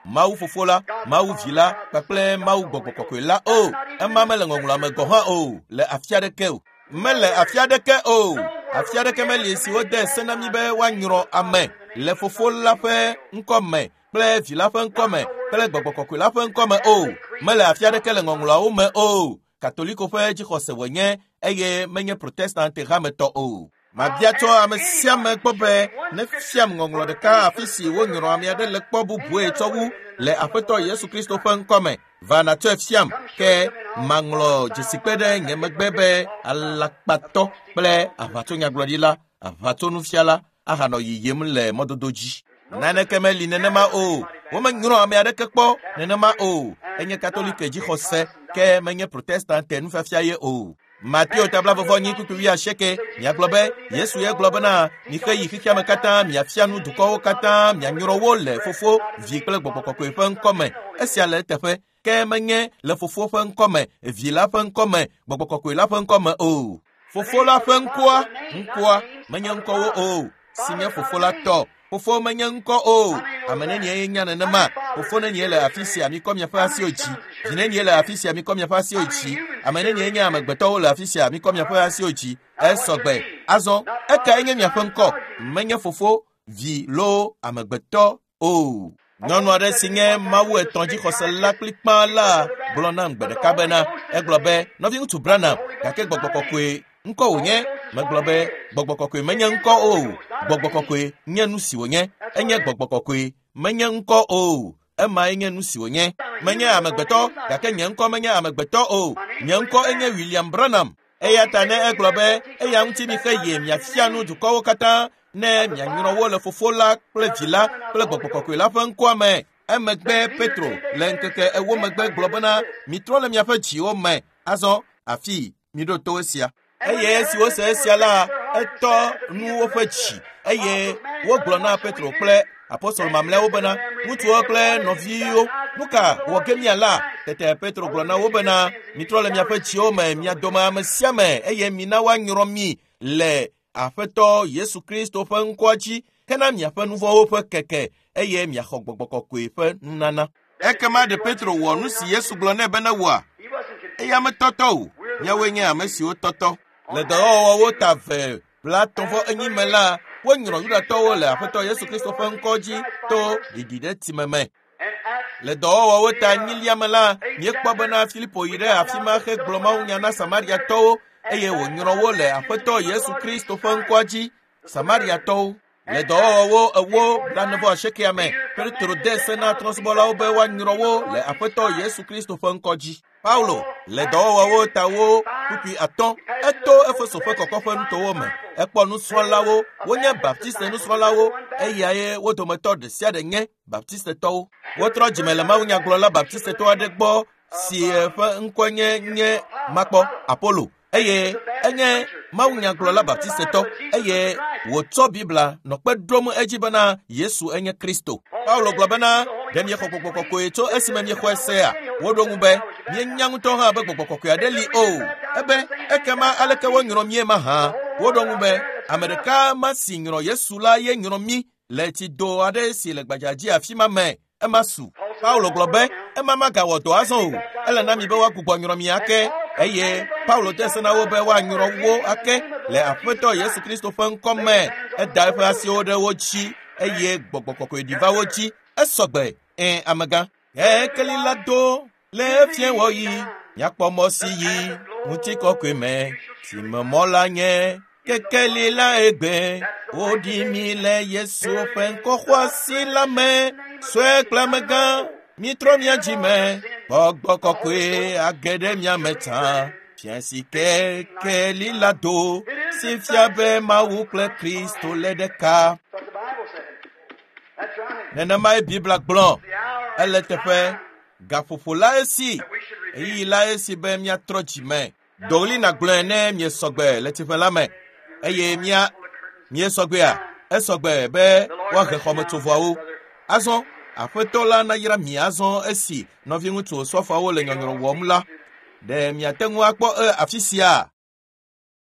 Mawu Fofo la, Mawu Vi la kpakple Mawu Gbɔgbɔ Kɔkɔe la o. Ema mele ŋɔŋlɔa me gɔ̃ hã o le afi aɖeke o. Mele afi aɖeke o. Afi aɖeke meli si wode se na mí be woanyrɔ ame le Fofo la ƒe ŋkɔ me kple Vi la ƒe ŋkɔ me kple Gbɔgbɔ Kɔkɔe la ƒe ŋkɔ me o. Mele afi aɖeke le ŋɔŋlɔawo me o. Katoliko ƒe dzixɔse wònye eye menye Protestante hametɔ o. Mabia tso ame sia ame gbɔ be ne fiam ŋɔŋlɔ ɖeka afi si wonyrɔ ame aɖe le kpɔ bubue tsɔ wu le Aƒetɔ Yesu Kristo ƒe ŋkɔ me. Va nàtsɔe fiam ke maŋlɔ dzesikpe ɖe nye megbe be alakpatɔ kple aʋatsonyagblɔɖila, aʋatsonufiala ahanɔ yiyim le mɔdodo dzi. Naneke meli nenema o. Womenyrɔ ame aɖeke kpɔ nenema o. Enye Katolike dzixɔse ke menye Protestante nufiafia ye o. Mateo tabla vɔvɔ nyi kpukpui wuiasieke miagblɔ be Yesu ye gblɔ bena mixe yi xexea me katã miafia nu dukɔwo katã mianyrɔ wo le Fofo, Vi kple Gbɔgbɔ Kɔkɔe ƒe ŋkɔ me. Esia le eteƒe ke menye le Fofo ƒe ŋkɔ me, Vi la ƒe ŋkɔ me, Gbɔgbɔ Kɔkɔe la ƒe ŋkɔ me o. Fofo la ƒe ŋkɔa, ŋkɔa menye ŋkɔwo o, si nye Fofo la tɔ. Fofo menye ŋkɔ o. Ame nenie nya nenema? Fofo nenie le afi sia mikɔ miaƒe asiwo dzi? Vi nenie le afi sia mikɔ miaƒe asiwo dzi? Ame nenie nye amegbetɔwo le afi sia mikɔ miaƒe asiwo dzi? Esɔgbe. Azɔ, ekae nye miaƒe ŋkɔ? Menye Fofo, Vi loo amegbetɔ o. Nyɔnu aɖe si nye Mawu etɔ̃ dzixɔse la kplikpã la gblɔ nam gbe ɖeka bena egblɔ be nɔviŋutsu Branham, gake Gbɔgbɔ Kɔkɔe ŋkɔ wònye. Megblɔ be Gbɔgbɔ Kɔkɔe menye ŋkɔ o. Gbɔgbɔ Kɔkɔe nye nu si wònye. Enye Gbɔgbɔ Kɔkɔe menye ŋkɔ o. Emae nye nu si wònye. Menye amegbetɔ, gake nye ŋkɔ menye amegbetɔ o. Nye ŋkɔ enye William Branham. Eya ta ne egblɔ be eya ŋuti mixe yi miafia nu dukɔwo katã ne mianyrɔ wo le Fofo la kple Vi la kple Gbɔgbɔ Kɔkɔe la ƒe ŋkɔa me. Emegbe Petro le ŋkeke ewo megbe gblɔ bena mitrɔ le miaƒe dziwo me. Azɔ afi miɖo to esia. Eye esi wose esia la, etɔ nu woƒe dzi eye wogblɔ na Petro kple apostol mamlɛawo bena ŋutsuwo kple nɔviwo, nu ka wɔ ge miala? Tete Petro gblɔ na wo bena mitrɔ le miaƒe dziwo me, mia dome ame sia ame, eye mina woanyrɔ mi le Aƒetɔ Yesu Kristo ƒe ŋkɔa dzi hena miaƒe nuvɔ̃wo ƒe keke eye miaxɔ Gbɔgbɔ Kɔkɔe ƒe nunana. Ekema ɖe Petro wɔ nu si Yesu gblɔ nɛ be newɔa? Eya metɔtɔ o. Miawoe nye ame siwo tɔtɔ. Le dɔwɔwɔwo ta ve blaetɔ̃ vɔ enyi me la, wonyrɔ Yudatɔwo le Aƒetɔ Yesu Kristo ƒe ŋkɔ dzi to ɖiɖi ɖe time me. Le dɔwɔwɔwo ta enyilia me la, míekpɔ bena Filipo yi ɖe afi ma hegblɔ mawunya na Samariatɔwo eye wònyrɔ wo le Aƒetɔ Yesu Kristo ƒe ŋkɔa dzi. Samariatɔwo. Le dɔwɔwɔwo ewo blaene vɔ asiekea me, Petro de se na trɔ̃subɔlawo be woanyrɔ wo le Aƒetɔ Yesu Kristo ƒe ŋkɔ dzi. Paulo le dɔwɔwɔwo ta wo kpukpui atɔ̃ eto Efeso ƒe kɔkɔƒe nutowo me. Ekpɔ nusrɔ̃lawo, wonye Baptiste nusrɔ̃lawo, eyae wo dometɔ ɖe sia ɖe nye Baptistetɔwo. Wotrɔ dzime le mawunyagblɔla Baptistetɔ aɖe gbɔ si ƒe ŋkɔe nye nye Makpɔ Apollo eye enye mawunyagblɔla Baptistetɔ eye wòtsɔ Biblia nɔ kpe ɖom edzi bena Yesu enye Kristo. Paulo gblɔ bena ɖe miexɔ Gbɔgbɔ Kɔkɔe tso esime miexɔe sea? Woɖo ŋu be mienya ŋutɔ hã be Gbɔgbɔ Kɔkɔe aɖe li o. Ebe ekema aleke wonyrɔ mie mahã? Woɖo ŋu be ame ɖeka ma si nyrɔ Yesu la ye nyrɔ mí le tsido aɖe si le gbadza dzi afi ma me. Ema su. Paulo gblɔ be ema magawɔ dɔ azɔ o. Ele na mi be woagbugbɔ nyrɔ mi ake. Eye Paulo de se na wo be woanyrɔ wo ake le Aƒetɔ Yesu Kristo ƒe ŋkɔ me. Eda eƒe asiwo ɖe wo dzi eye Gbɔgbɔ Kɔkɔe ɖi va wo dzi. Esɔgbe. Ẽ, amegã. Kekeli la do le fiẽwɔɣi, miakpɔ mɔ si yi ŋutikɔkɔe me, si me mɔ la nye kekeli la egbe. Woɖi mi le Yesu ƒe ŋkɔ xɔasi la me. Sue kple amegã, mitrɔ mia dzi me. Gbɔgbɔ Kɔkɔe age ɖe mia me tsã. Fia si kekeli la do, si fia be Mawu kple Kristo le ɖeka. Nenemae Biblia gblɔ. Ele teƒe gaƒoƒo la esi, ɣeyiɣi la esi be míatrɔ dzi me. Doɣli nàgblɔe ne miesɔgbe le tsiƒe la me. Eye mía míesɔgbea esɔgbe be woahe xɔmetsovɔawo. Azɔ aƒetɔ la nayra mi azɔ esi nɔviŋutsu osɔfoawo le nyɔnyrɔ wɔm la. Ɖe miate ŋu akpɔ e afi sia?